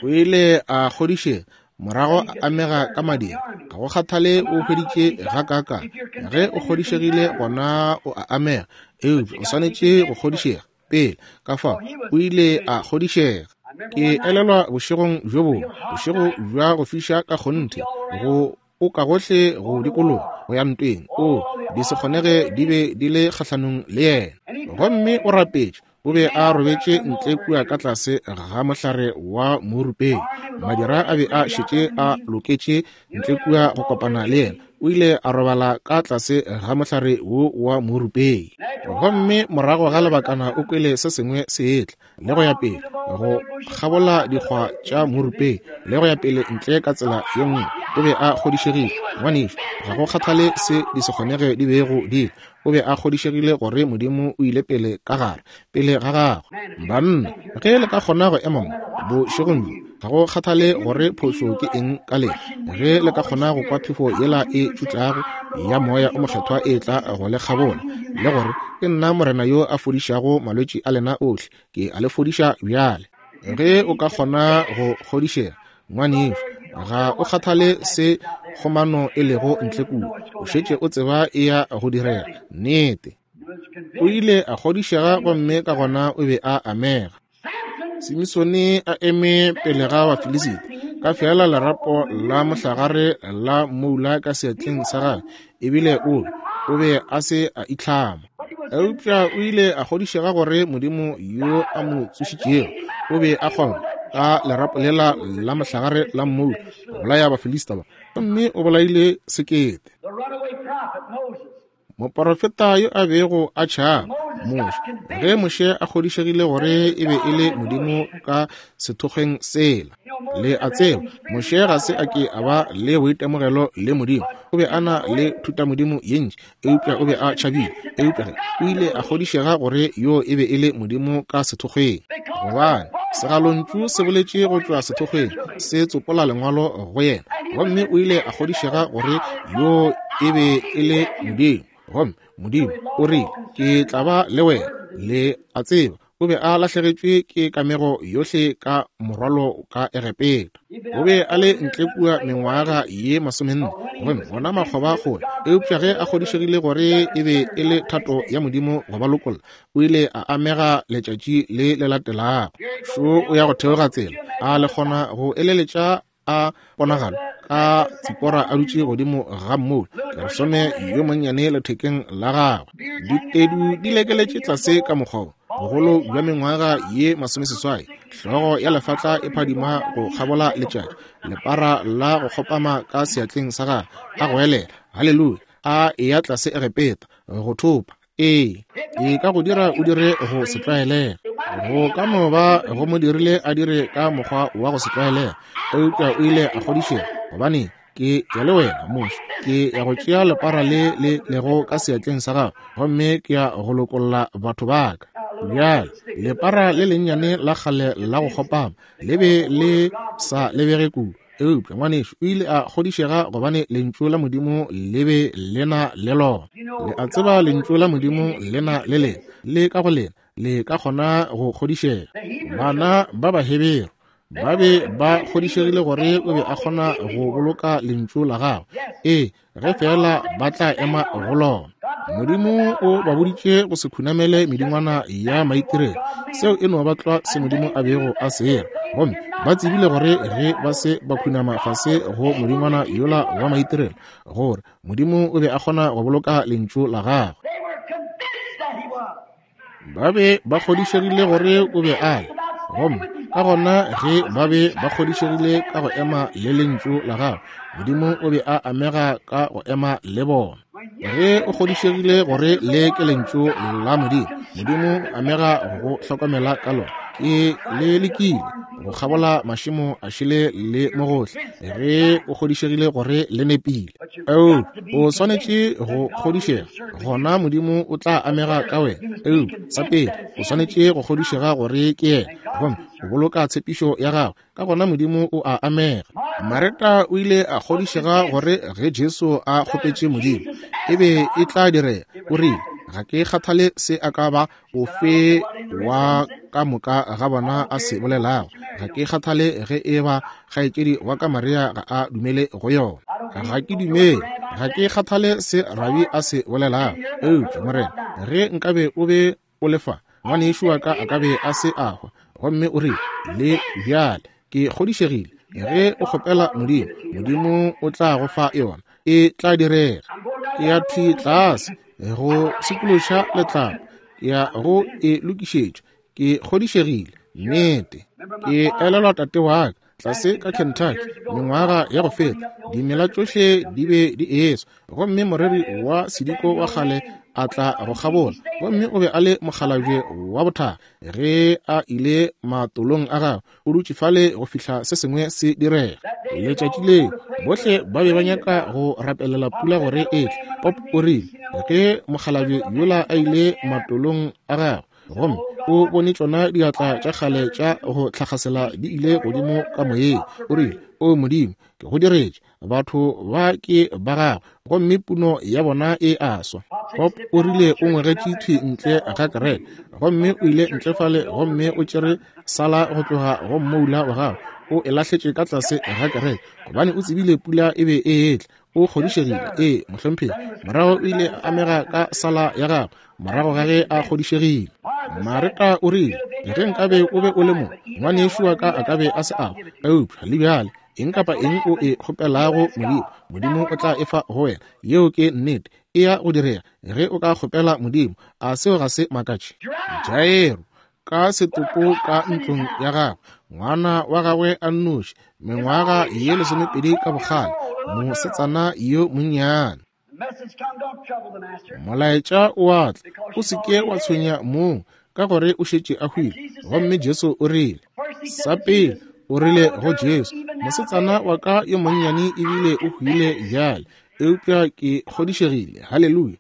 O ile a kgodišega, morago a amega ka madira. Ga go kgathale o hweditše gakaakang, ge o kgodišegile gona o a amega, eupša o swanetše go kgodišega pele. Ka fao o ile a kgodišega. Ke elelwa bošegong bjo bongwe, bošego bja go fiša ka kgonthe, go o ka gohle go dikologa go ya ntweng, o di se kgonege di be di le kgahlanong le yena. Gomme o rapetše, o be a robetše ntle kua ka tlase ga mohlare wa morupeng. Madira a be a šetše a loketše ntle kua go kopana le yena. O ile a robala ka tlase ga mohlare wo wa morupeng. Gomme morago ga lebakana o kwele se sengwe se etla, le go ya pele go kgabola dikgwa tša morupeng, le go ya pele ntle ka tsela ye nngwe. O be a kgodišegile. Ngwanešu, ga go kgathale se di se kgonege di bego di, o be a kgodišegile gore Modimo o ile pele ka gare, pele ga gagwe. Banna, ge le ka kgona go ema mo bošegong bjo, ga go kgathale gore phošo ke eng ka lena, ge le ka kgona go kwa phefo yela e tšutlago ya Moya o Mokgethwa e tla go le kgabola, le gore ke nna Morena yo a fodišago malwetši a lena ohle, ke a le fodiša bjale. Ge o ka kgona go kgodišega, ngwanešu, ga o kgathale se kgomano e lego ntle kua, o šetše o tseba e ya go direga. Nnete. O ile a kgodišega gomme ka gona o be a amega. Simisone a eme pele ga Bafilisita ka fela lerapo la mohlagare la moula ka seatleng sa gagwe, ebile o o be a se a itlhama. Eupša o ile a kgodišega gore Modimo yo a mo tsošitšego o be a kgona ka lerapo lela la mohlagare la moula go bolaya Bafilista ba, gomme o bolaile sekete. Moporofeta yo a bego a tšhaba, Moshe, ge Moshe a kgodišegile gore e be e le Modimo ka sethokgweng sela. Le a tseba, Moshe ga se a ke a ba le boitemogelo le Modimo. O be a na le thutamodimo ye ntši, eupša o be a tšhabile. Eupša ge o ile a kgodišega gore yo e be e le Modimo ka sethokgweng, gobane segalontšu se boletše go tšwa sethokgweng, se tsopola lengwalo go yena, gomme o ile a kgodišega gore yo e be e le Modimo. Gomme Modimo o rile, ke tla ba le wena. Le a tseba, o be a lahlegetšwe ke kamego yohle ka morwalo ka Egepeta. O be a le ntle kua mengwaga ye masomenne, gomme bona makgoba kgole. Eupša ge a kgodišegile gore e be e le thato ya Modimo go ba lokolla, o ile a amega letšatši le le latelago. Šo o ya go theoga tsela, a le kgona go eleletša a ponagalo ka Tsipora a dutše godimo ga mmoula, Gersome yo monnyane lethekeng la gagwe, ditedu di lekeletše tlase ka mokgwa bogolo bja mengwaga ye masomeseswai, hlogo ya lefatla e phadima go kgabola letšatši, lepara la go kgopama ka seatleng sa gagwe, a goelela haleluya, a eya tlase Egepeta go thopa. Ee, e ka go dira o dire go se tlwaelega. Go ka no ba go mo dirile a dire ka mokgwa wa go se tlwaelega, eupša o ile a kgodišega, gobane ke ya le wena Moshe, ke ya go tšea lepara le le lego ka seatleng sa gago, gomme ke ya go lokolla batho ba ka. Bjale lepara le lennyane la kgale la go kgopama le be le sa lebege kudu, eupša ngwanešu o ile a kgodišega gobane lentšu la Modimo le be le na le lona. Le a tseba lentšu la Modimo le na le lena, le ka go lena le ka kgona go kgodišega. Bana ba Baheberu ba be ba kgodišegile gore o be a kgona go boloka lentšu la gagwe, ee, ge fela ba tla ema go lona. Modimo o ba boditše go se khunamele medingwana ya maitirelo, seo e no ba tlwa se Modimo a bego a se era. Gomme ba tsebile gore ge ba se ba khunama fase go modingwana yola wa maitirelo, gore Modimo o be a kgona go boloka lentšu la gagwe. Ba be ba kgodišegile gore o be a le, gomme ka gona ge ba be ba kgodišegile ka go ema le lentšu la gagwe, Modimo o be a amega ka go ema le bona. Ge o kgodišegile gore le ke lentšu la Modimo, Modimo amega go hlokomela ka lona. Ke le lekile go kgabola mašemo a šele le mogohle, ge o kgodišegile gore le nepile. Eupša o swanetše go kgodišega, gona Modimo o tla amega ka wena. Eupša sa pele o swanetše go kgodišega gore ke yena, gomme o boloka tshepišo ya gagwe, ka gona Modimo o a amega. Mareta o ile a kgodišega gore ge Jesu a kgopetše Modimo e be e tla direga. O rile, ga ke kgathale se a ka ba ofe wa ka moka ga bona a se bolelago, ga ke kgathale ge e ba kgaetšedi wa ka Maria ga a dumele go yona, ga ke dumele, ga ke kgathale se rabi a se bolelago, eupša Morena, ge nkabe o be o le fa, ngwanešu wa ka a ka be a se a hwa. Gomme o rile, le bjale ke kgodišegile ge o kgopela Modimo, Modimo o tla go fa yona, e tla direga. Ke ya thwi tlase go pshikološa letlapa, ke ya go e lokišetša, ke kgodišegile. Nnete. Ke elelwa tate wa ka tlase ka Kentucky mengwaga ya go feta, dimela tšohle di be di eswa, gomme moreri wa sediko wa kgale a tla go kgabola, gomme o be a le mokgalabje wa bothakga. Ge a ile matolong a gagwe, o dutše fale go fihla se sengwe se direga. Letšatši leo bohle ba be ba nyaka go rapelela pula gore e tle. Pop o rile ge mokgalabje yola a ile matolong a gagwe, gomme o bone tšona diatla tša kgale tša go tlhakgasela di ile godimo ka moyeng, o rile, O Modimo, ke go diretše, batho ba ke ba gago, gomme puno ya bona e a swa. Pop o rile o ngwegetše thwi ntle ga kereke, gomme o ile ntle fale gomme o tšere sala go tloga go mmoula wa gagwe, o e lahletše ka tlase ga kereke, gobane o tsebile pula e be e etla. O kgodišegile, ee, mohlomphegi. Morago o ile a amega ka sala ya gagwe, morago ga ge a kgodišegile. Mareta o rile, ge nkabe o be o le mo, ngwanešu wa ka a ka be a se a hwa. Eupša le bjale, eng kapa eng o e kgopelago Modimo, Modimo o tla e fa go wena. Yeo ke nnete, e ya go direga ge o ka kgopela Modimo. A seo ga se makatše? Jairo ka setopo ka ntlong ya gagwe, ngwana wa gagwe a nnoši, mengwaga ye lesomepedi ka bokgale, mosetsana yo monnyane. Molaetša o a tla, o se ke wa tshwenya mong, ka gore o šetše a hwile. Gomme Jesu o rile, sa pele o rile go Jesu, mosetsana wa ka yo monnyane ebile o hwile bjale, eupša ke kgodišegile. Haleluya!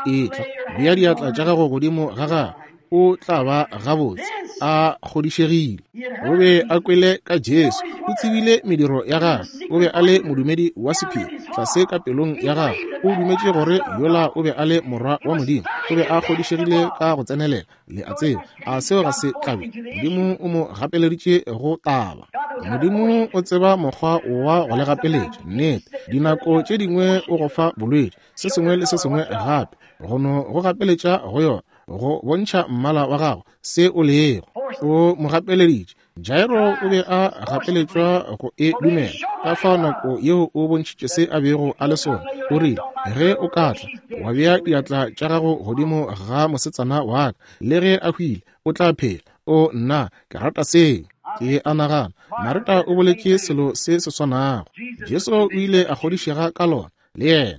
Etla, bea diatla tša gago godimo ga gagwe, o tla ba gabotse. A kgodišegile. O be a kwele ka Jesu, o tsebile mediro ya gagwe, o be a le modumedi wa sephiri tlase ka pelong ya gagwe. O dumetše gore yola o be a le morwa wa Modimo. O be a kgodišegile ka go tsenelela. Le a tseba, a seo ga se tlabe? Modimo o mo gapeleditše go taba. Modimo o tseba mokgwa wa go le gapeletša. Nnete, dinako tše dingwe o go fa bolwetši, se sengwe le se sengwe gape, go no go gapeletša go yona, go bontšha mmala wa gago, se o lego. O mo gapeleditše. Jairo o be a gapeletšwa go e dumela. Ka fao nako yeo o bontšhitše se a bego a le sona. O rile, ge o ka tla wa bea diatla tša gago godimo ga mosetsana wa ka, le ge a hwile, o tla phela. O nna, ke rata seo. Ke a nagana Mareta o boletše selo se se swanago. Jesu o ile a kgodišega ka lona le yena.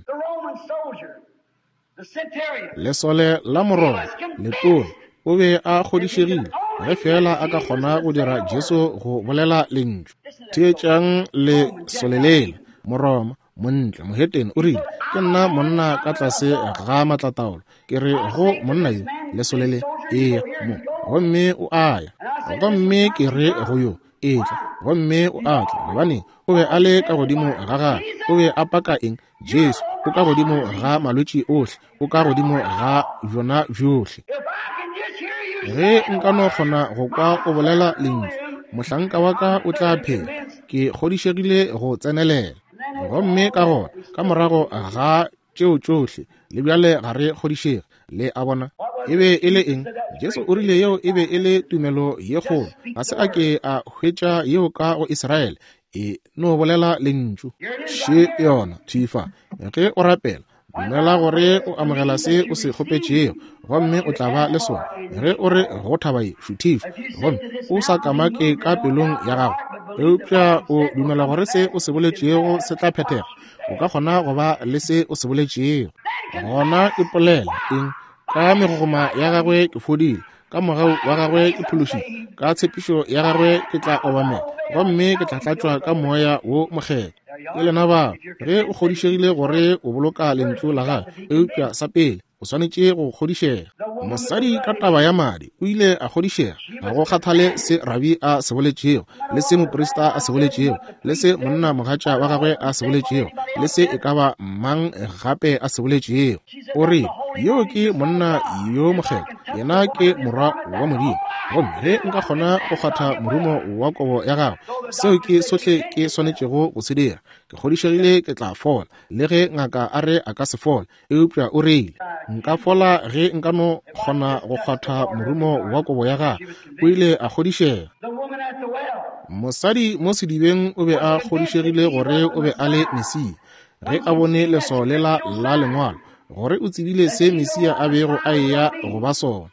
Lesole la Moroma letona o be a kgodišegile ge fela a ka kgona go dira Jesu go bolela lentšu. Theetšang lesole lela, Moroma, montle, mohetene, o rile, ke nna monna ka tlase ga matlataolo. Ke re go monna yo, lesole le, eya mo, gomme o a ya. Gomme ke re go yo, etla, gomme o a tla. Gobane o be a le ka godimo ga gagwe. O be a paka eng? Jesu o ka godimo ga malwetši ohle, o ka godimo ga bjona bjohle. Ge nka no kgona go kwa o bolela lentšu, mohlanka wa ka o tla phela. Ke kgodišegile go tsenelela. Gomme ka gona, ka morago ga tšeo tšohle, le bjale ga re kgodišege. Le a bona? E be e le eng? Jesu o rile yeo e be e le tumelo ye kgolo. Ga se a ke a hwetša yeo ka go Israele. E no bolela lentšu. Še yona, thwi fa. Ge o rapela, dumela gore o amogela se o se kgopetšego, gomme o tla ba le sona. Ge o re go thaba ye, šuthišwa, gomme o sa kamake ka pelong ya gago, eupša o dumela gore se o se boletšego se tla phethega, o ka kgona go ba le se o se boletšego. Gona ipolela eng? Ka megogoma ya gagwe ke fodile, ka mogau wa gagwe ke phološitše, ka tshepišo ya gagwe ke tla obamela, gomme ke tla tlatšwa ka moya wo mokgethwa. Ke lena bao, ge o kgodišegile gore o boloka lentšu la gagwe, eupša sa pele o swanetše go kgodišega. Mosadi ka taba ya madi o ile a kgodišega, ga go kgathale se rabi a se boletšego, le se moprista a se boletšego, le se monna mogatša wa gagwe a se boletšego, le se e ka ba mang gape a se boletšego. O re, yo ke monna yo mokgethwa, yena ke morwa wa Modimo, gomme ge nka kgona go kgwatha morumo wa kobo ya gagwe, seo ke sohle ke swanetšego go se dira. Ke kgodišegile ke tla fola, le ge ngaka a re a ka se fola, eupša o reile, nka fola ge nka no kgona go kgwatha morumo wa kobo ya gagwe. O ile a kgodišega. Mosadi mo sedibeng o be a kgodišegile gore o be a le Mesia, ge a bone leswao lela la lengwalo, gore o tsebile se Mesia a bego a eya go ba sona.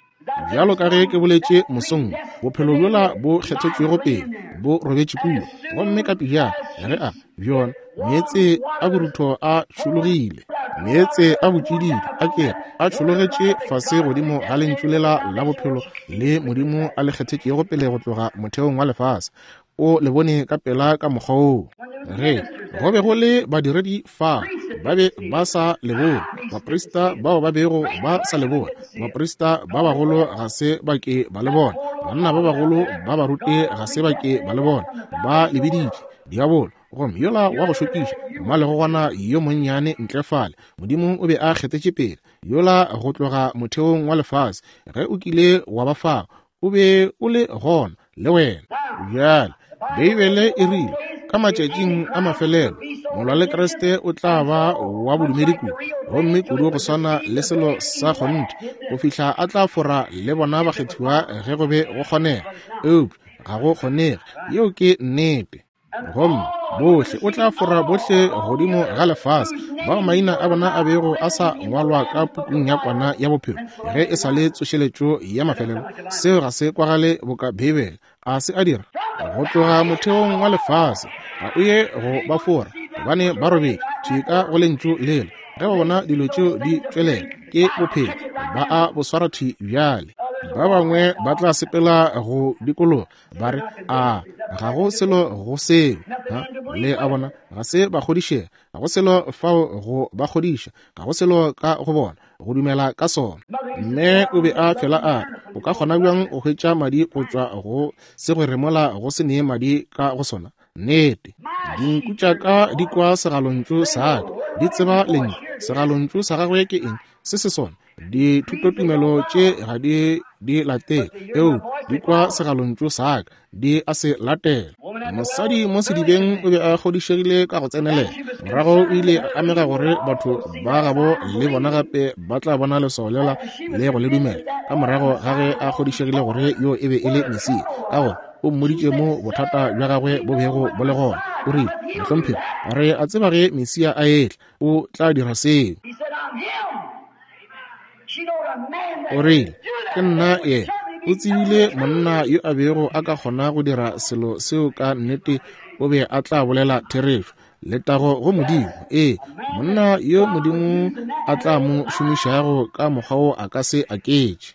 Bjalo ka ge ke boletše mosong, bophelo bjola bo kgethetšwego pele bo robetše kua, gomme ka pejana ge a bjona meetse a borutho a tšhologile, meetse a botšididi a kere a tšhologetše fase godimo ga lentšu lela la bophelo le Modimo a le kgethetšego pele go tloga motheong wa lefase. O le bone ka pela ka mokgwa woo. Ge go be go le badiredi fa, ba be ba sa le bone. Baprista bao ba bego ba sa le bone, baprista ba bagolo ga se ba ke ba le bona, banna ba bagolo ba baruti ga se ba ke ba le bona. Ba le biditše diabolo, gomme yola wa go šokiša mmalegogwana yo monnyane ntle fale, Modimo o be a kgethetše pele yola go tloga motheong wa lefase. Ge o kile wa ba fao, o be o le gona le wena. Bjale Beibele e rile ka matšatšing a mafelelo molwa le Kriste o tla ba wa bodumedi kudu, gomme kudu go swana le selo sa kgonthe, go fihla a tla fora le bona bakgethiwa ge go be go kgonega. Eupša ga go kgonege, yeo ke nnete. Gomme bohle o tla fora bohle godimo ga lefase bao maina a bona a bego a sa ngwalwa ka pukung ya kwana ya bophelo ge e sa le tsošeletšo ya mafelelo. Seo ga se kwagale boka Beibele, a se a dira? Go tloga motheong wa lefase ga o ye go ba fora, gobane ba robetše thwi ka go lentšu lela. Ge ba bona dilo tšeo di tšwelela, ke bophelo, ba a bo swara thwi bjale. Ba bangwe ba tla sepela go dikologa ba re, a ga go selo go seo. Le a bona, ga se ba kgodišega, ga go selo fao go ba kgodiša, ga go selo ka go bona go dumela ka sona. Mme o be a fela a re, o ka kgona bjang go hwetša madi go tšwa go segwere mola go se nee madi ka go sona? Nnete, dinku tša ka di kwa segalontšu sa ka, di tseba lentšu. Segalontšu sa gagwe ke eng? Se se sona. Dithutotumelo tše ga di di latele, eo di kwa segalontšu sa ka, di a se latela. Mosadi mo sedibeng o be a kgodišegile ka go tsenelela. Morago o ile a amega gore batho ba gabo le bona gape ba tla bona leswao lela le go le dumela, ka morago ga ge a kgodišegile gore yo e be e le Mesia, ka gore o mmoditše mo bothata bja gagwe bo bego bo le gona. O rile, mohlomphegi, re a tseba ge Mesia a etla o tla dira seo. O rile, ke nna yena. O tsebile monna yo a bego a ka kgona go dira selo seo ka nnete o be a tla bolela therešo. Letago go Modimo. Ee, monna yo Modimo a tla mo šomišago ka mokgwa wo a ka se aketše.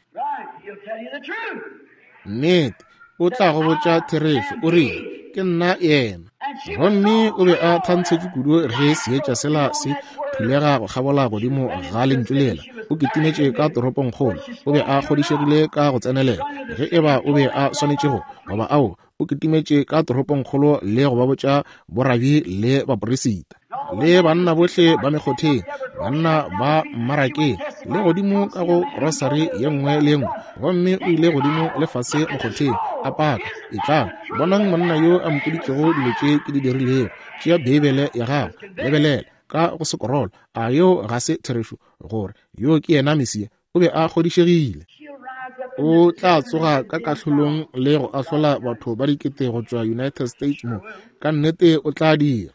Nnete, o tla go botša therešo. O rile, ke nna yena. Gomme o be a thantshetše kudu ge seetša sela se phulega go kgabola godimo ga lentšu lela. O kitimetše ka toropongkgolo. O be a kgodišegile ka go tsenelela ge eba o be a swanetše go goba ao. O kitimetše ka toropongkgolo le go ba botša borabi le baporesita le banna bohle ba mekgotheng, banna ba mmarakeng, le godimo ka go grosari ye nngwe le nngwe. Gomme o ile godimo le fase mokgotheng a paka, etlang bonang monna yo a mpoditšego dilo tše ke di dirilego. Tšea Beibele ya gago, lebelela ka go sekorolo. A yo ga se therešo gore yo ke yena Mesia? O be a kgodišegile. O tla tsoga ka kahlolong le go ahlola batho ba dikete go tšwa United States mo. Ka nnete o tla dira.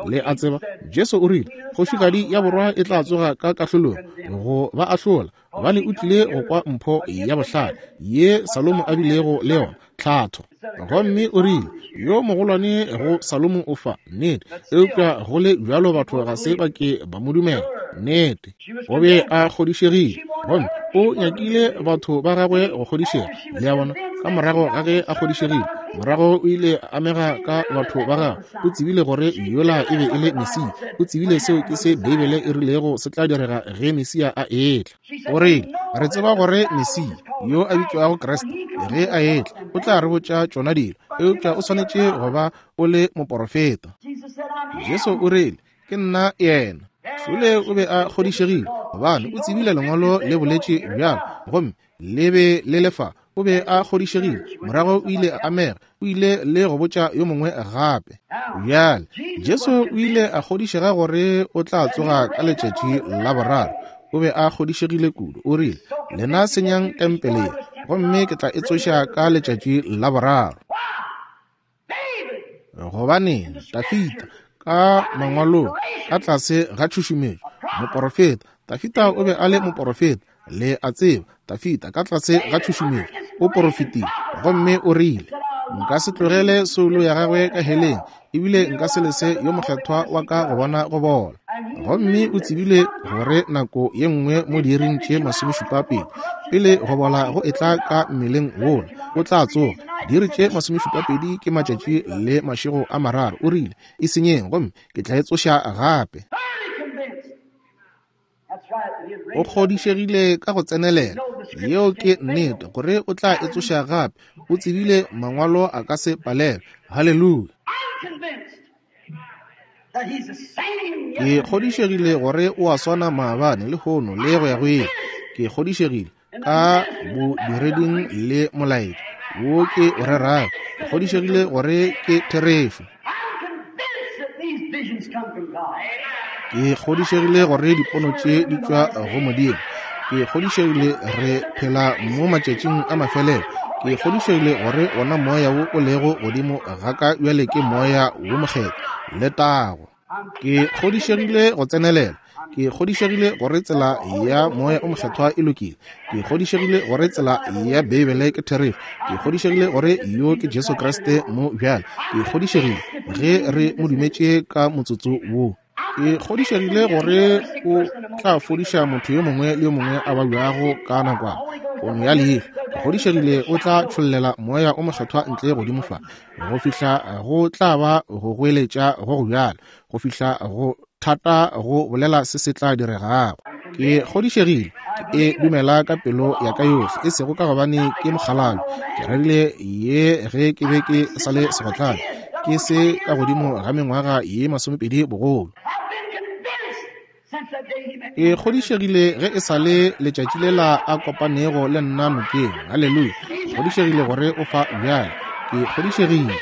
Le a tseba, Jesu o rile kgošigadi ya borwa e tla tsoga ka kahlolong go ba ahlola, gobane o tlile go kwa mpho ya bohlale ye Salomo a bilego le yona, tlhatho. Gomme o rile yo mogolwane go Salomo o fa. Nnete, eupša go le bjalo batho ga se ba ke ba mo dumela. Nnete, o be a kgodišegile, gomme o nyakile batho ba gagwe go kgodišega. Le a bona, ka morago ga ge a kgodišegile, morago o ile a amega ka batho ba gagwe. O tsebile gore yola e be e le Mesia. O tsebile seo ke se Beibele e rilego se tla direga ge Mesia a etla. O rile, re tseba gore Mesia yo a bitšwago Kriste ge a etla o tla re botša tšona dilo, eupša o swanetše go ba o le moporofeta. Jesu o rile, ke nna yena. Šole o be a kgodišegile, gobane o tsebile lengwalo le boletše bjalo, gomme le be le lefa. O be a kgodišegile. Morago o ile a amega, o ile le go botša yo mongwe gape. Bjale Jesu o ile a kgodišega gore o tla tsoga ka letšatši la boraro. O be a kgodišegile kudu. O rile, lena senyang tempele ye, gomme ke tla e tsoša ka letšatši la boraro. Gobaneng Dafita ka mangwalong ka tlase ga tšhušumetšo, moporofeta Dafita o be a le moporofeta, le a tseba. Dafita ka tlase ga tšhušumetšo o porofetile, gomme o rile, nka se tlogele soulo ya gagwe ka heleng, ebile nka se lese yo mokgethwa wa ka go bona go bola. Gomme o tsebile gore nako ye nngwe mo diiring tše masomešupa pedi pele go bola go etla ka mmeleng wola, o tla tsoga. Diiri tše masomešupa pedi ke matšatši le mašego a mararo. O rile, e senyeng gomme ke tla e tsoša gape. O kgodišegile ka go tsenelela, yeo ke nnete, gore o tla e tsoša gape. O tsebile mangwalo a ka se palelwe. Haleluya! Ke kgodišegile gore o a swana maabane, lehono le go ya go ile. Ke kgodišegile ka bodireding le molaetša wo ke o rerago. Ke kgodišegile gore ke therešo. Ke kgodišegile gore dipono tše di tšwa go Modimo. Ke kgodišegile re phela mo matšatšing a mafelelo. Ke kgodišegile gore wona moya wo o lego godimo ga ka bjale ke moya wo mokgethwa le tago. Ke kgodišegile go tsenelela. Ke kgodišegile gore tsela ya moya o mokgethwa e lokile. Ke kgodišegile gore tsela ya Beibele ke therešo. Ke kgodišegile gore yo ke Jesu Kriste mo bjale. Ke kgodišegile ge re mo dumetše ka motsotso wo. Ke kgodišegile gore o tla fodiša motho yo mongwe le yo mongwe a babjago ka nakwana pono ya leihlo. Ke kgodišegile o tla tšhollela moya o mokgethwa ntle godimo fa go fihla go tla ba go goeletša go go bjalo, go fihla go thata go bolela se se tla diregago. Ke kgodišegile, ke e dumela ka pelo ya ka yohle, e sego ka gobane ke mokgalabje. Ke rerile ye ge ke be ke sa le segotlane, ke se ka godimo ga mengwaga ye masomepedi bogolo. Ke kgodišegile ge e sa le letšatši lela a kopanego le nna nokeng. Haleluya! Ke kgodišegile gore o fa bjale. Ke kgodišegile.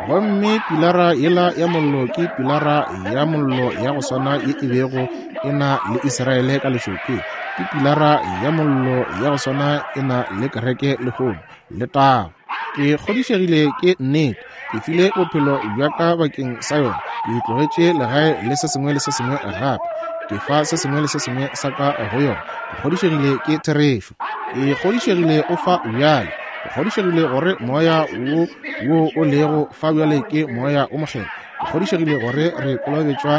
Gomme pilara yela ya mollo ke pilara ya mollo ya go swana ye e bego e na le Israele ka lešokeng. Ke pilara ya mollo ya go swana e na le kereke lehono le tago. Ke kgodišegile ke nnete. Ke file bophelo bja ka bakeng sa yona. Ke tlogetše legae le se sengwe le se sengwe gape. Ke fa se sengwe le se sengwe sa ka go yona. Ke kgodišegile ke therešo. Ke kgodišegile o fa bjale. Ke kgodišegile gore moya wo wo o lego fa bjale ke moya o mokgethwa. Ke kgodišegile gore re kolobetšwa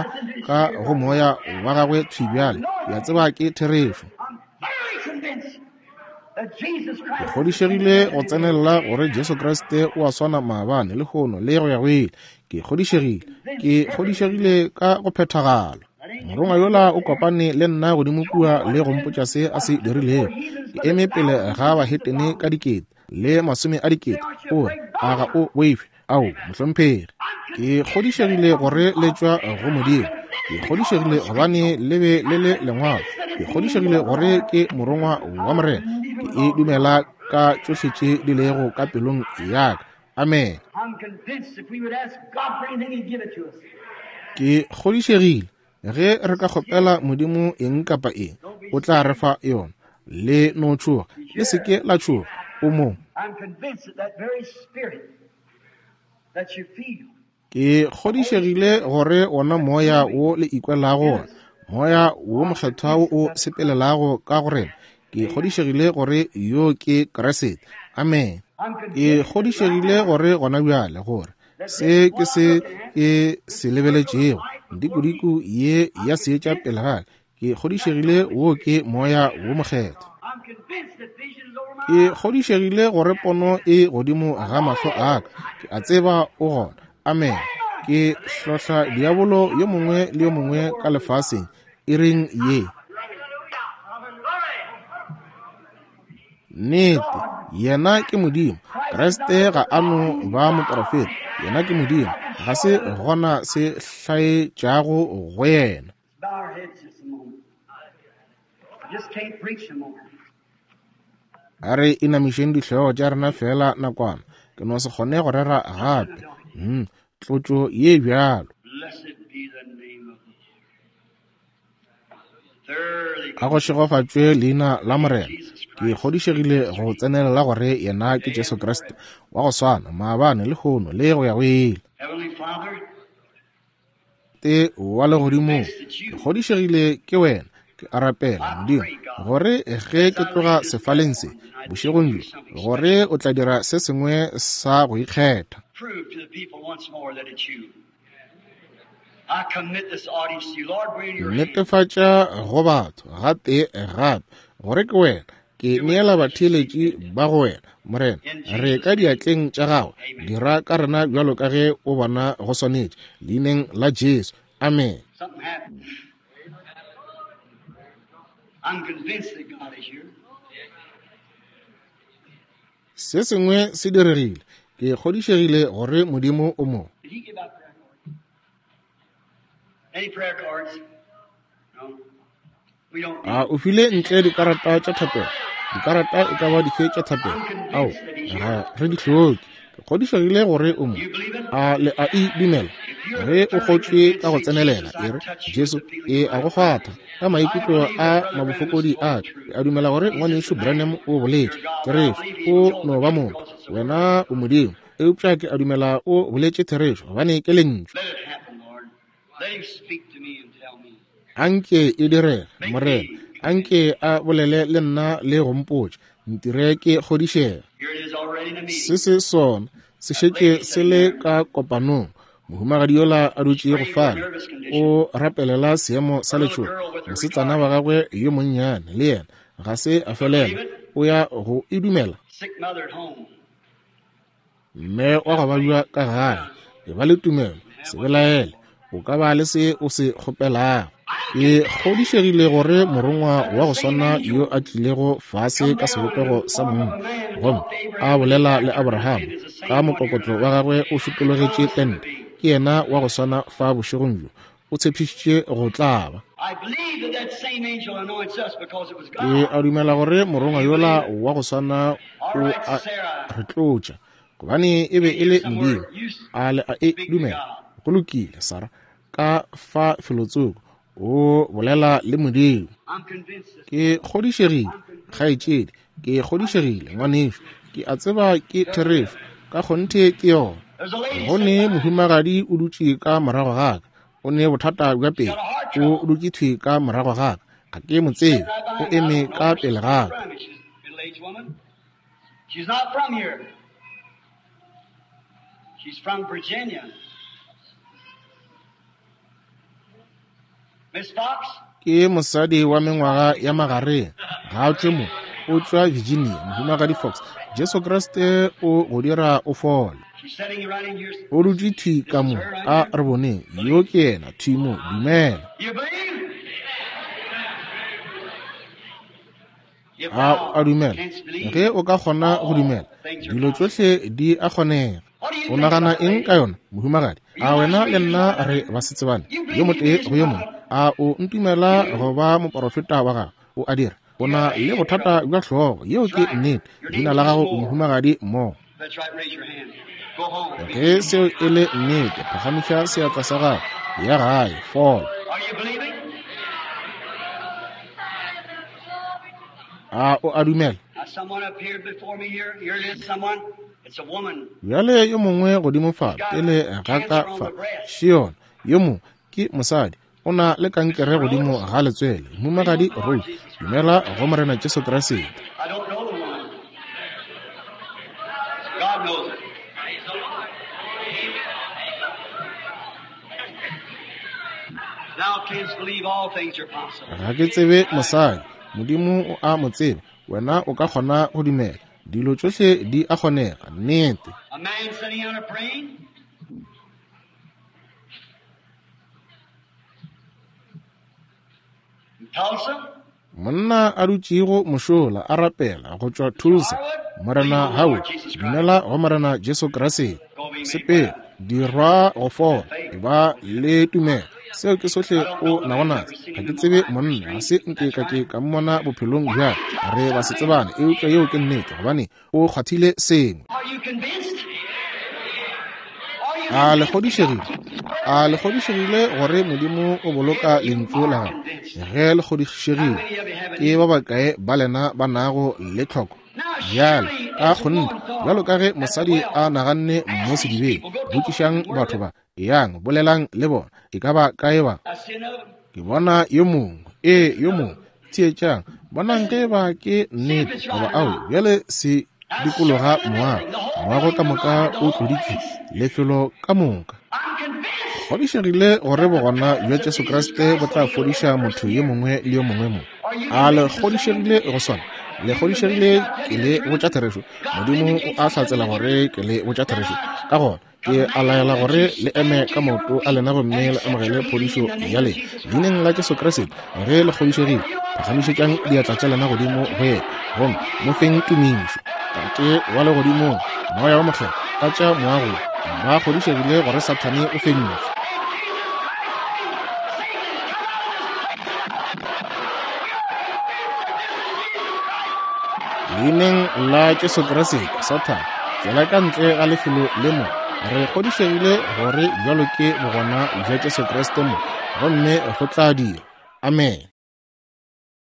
ka go moya wa gagwe thwi bjale. Ke a tseba ke therešo. Ke kgodišegile go tsenelela gore Jesu Kriste o a swana maabane, lehono le go ya go ile. Ke kgodišegile. Ke kgodišegile ka go phethagala. Morongwa yola o kopane le nna godimo kua le go mpotša se a se dirilego. Ke eme pele ga bahetene ka dikete le masome a dikete. O re, a ga o boife? Ao, mohlomphegi. Ke kgodišegile gore le tšwa go Modimo. Ke kgodišegile gobane le be le le lengwalo. Ke kgodišegile gore ke morongwa wa Morena. Ke e dumela ka tšohle tše di lego ka pelong ya ka. Amen. Ke kgodišegile ge re ka kgopela Modimo eng kapa eng, o tla re fa yona. Le no tšhoga, le se ke la tšhoga. O mo. Ke kgodišegile gore wona moya wo le ikwelago wona, moya wo mokgethwa wo o sepelelago ka go rena, ke kgodišegile gore yo ke Kriste. Amen. Ke kgodišegile gore gona bjale gore se ke se ke se lebeletšego, dikudiku ye ya seetša pele ga ka, ke kgodišegile wo ke moya wo mokgethwa. Ke kgodišegile gore pono e godimo ga mahlo a ka. Ke a tseba o gona. Amen. Ke hlohla diabolo yo mongwe le yo mongwe ka lefaseng iring ye. Nnete, yena ke Modimo. Kriste ga a no ba moprofeta, yena ke Modimo. Ga se gona se hlaetšago go yena. A re inamišeng dihlogo tša rena fela nakwana. Ke no se kgone go rera gape. Hmm, tlotšo ye bjalo. A go šegofatšwe leina la Morena. Ke kgodišegile go tsenelela gore yena ke Jesu Kriste wa go swana maabane, lehono le go ya go ile. Tate wa legodimong, ke kgodišegile ke wena. Ke a rapela Modimo gore ge ke tloga sefaleng se bošegong bjo, gore o tla dira se sengwe sa go ikgetha. Netefatša go batho gatee gape gore ke wena. Ke neela batheeletši ba go wena, Morena. Re ka diatleng tša gago. Dira ka rena bjalo ka ge o bona go swanetše. Leineng la Jesu. Amen. Se sengwe se diregile. Ke kgodišegile gore Modimo o mo. A o file ntle dikarata tša thapelo? Dikarata e ka ba dife tša thapelo? Ao, ga re di hloke. Ke kgodišegile gore o mo. A le a e dumela? Ge o kgotšwe ka go tsenelela, e re, Jesu, e a go kgwatha ka maikutlo a mabofokodi a ka. Ke a dumela gore ngwanešu Branham o boletše therešo. O no ba motho, wena o Modimo. Eupša ke a dumela o boletše therešo, gobane ke lentšu. Anke e direge, Morena. Anke a bolele le nna le go mpotša. Ntire ke kgodišege. Se se sona se šetše se le ka kopanong. Mohumagadi yola a dutšego fale o rapelela seemo sa letšhogo. Mosetsana wa gagwe yo monnyane le yena ga se a felela. O ya go e dumela. Mme wa go babja ka gae, e ba le tumelo, se belaele. O ka ba le se o se kgopelago. Ke kgodišegile gore morongwa wa go swana yo a tlilego fase ka sebopego sa monna gomme a bolela le Abraham ka mokokotlo wa gagwe o šupologetše tente, ke yena wa go swana fa bošegong bjo. O tshepišitše go tla ba. Ke a dumela gore morongwa yola wa go swana o a re tlotša, gobane e be e le Modimo. A le a e dumela? Go lokile, Sara, ka fa felotsoko o bolela le Modimo. Ke kgodišegile, kgaetšedi, ke kgodišegile, ngwanešu. Ke a tseba ke therešo, ka kgonthe ke yona. Go ne mohumagadi o dutše ka morago ga ka. O ne bothata bja pelo. O dutše thwi ka morago ga ka. Ga ke mo tsebe. O eme ka pele ga ka. She's not from here. She's from Virginia. Miss Fox? Ke mosadi wa mengwaga ya magareng. Ga a tšwe mo. O tšwa Virginia. Mohumagadi Fox. Jesu Kriste o go dira o fole. O dutše thwi ka mo. A re boneng. Yo ke yena thwi mo. Dumela. A a dumela. Ge o ka kgona go dumela, dilo tšohle di a kgonega. O nagana eng ka yona, mohumagadi? A wena le nna re basetsebane, yo motee go yo mongwe? A o ntumela go ba moporofeta wa gago? O a dira. O na le bothata bja hlogo. Yeo ke nnete. Leina la gago o mohumagadi Mo. Ge seo e le nnete, phagamiša seatla sa gago. Ya gae, fola. A o a dumela? Bjale yo mongwe godimo fa pele ga ka fa, Shion, yo mongwe ke mosadi, o na le kankere godimo ga letswele. Mohumagadi Rose, dumela go Morena Jesu Kriste. Ga ke tsebe mosadi. Modimo o a mo tseba. Wena o ka kgona go dumela. Dilo tšohle di a kgonega. Nnete. Monna a dutšego mošola a rapela go tšwa Tulsa. Morena Howard, dumela go Morena Jesu Kriste. Sepela, dirwa go fola, e ba le tumelo. Seo ke sohle o nago naso. Ga ke tsebe monna, ga se nke ka ke ka mmona bophelong bja re ba se tsebane, eupša yeo ke nnete, gobane o kgwathile sengwe. A le kgodišegile? A le kgodišegile gore Modimo o boloka lentšu la gagwe? Ge le kgodišegile, ke ba bakae ba lena ba nago le tlhoko? Bjale, ka kgonthe, bjalo ka ge mosadi a naganne mo sedibeng, botšišang batho ba, eyang, bolelang le bona, e ka ba kae ba? Ke bona yo mongwe, ee, yo mongwe, theetšang, bonang ge ba ke nnete goba ao. Bjale se dikologa moago, moago ka moka o tloditšwe, lefelo ka moka. kgodišegile gore bogona bja Jesu Kriste bo tla fodiša motho yo mongwe le yo mongwe mo? A le kgodišegile go sona? Le kgodišegile ke le botša therešo? Modimo o a hlatsela gore ke le botša therešo. Ka gona ke a laela gore le eme ka maoto a lena gomme le amogele phodišo ya lena leineng la Jesu Kriste. Ge le kgodišegile, phagamišetšang diatla tša lena godimo go yena gomme mo feng tumišo. Tate wa legodimong, Moya wa Mokgethwa, tlatša moago. Ba kgodišegile gore Sathane o fentšwe. Leineng la Jesu Kriste, Sathane, tšwela ka ntle ga lefelo le mo. Re kgodišegile gore bjalo ke bogona bja Jesu Kriste mo, gomme go tla dira. Amen.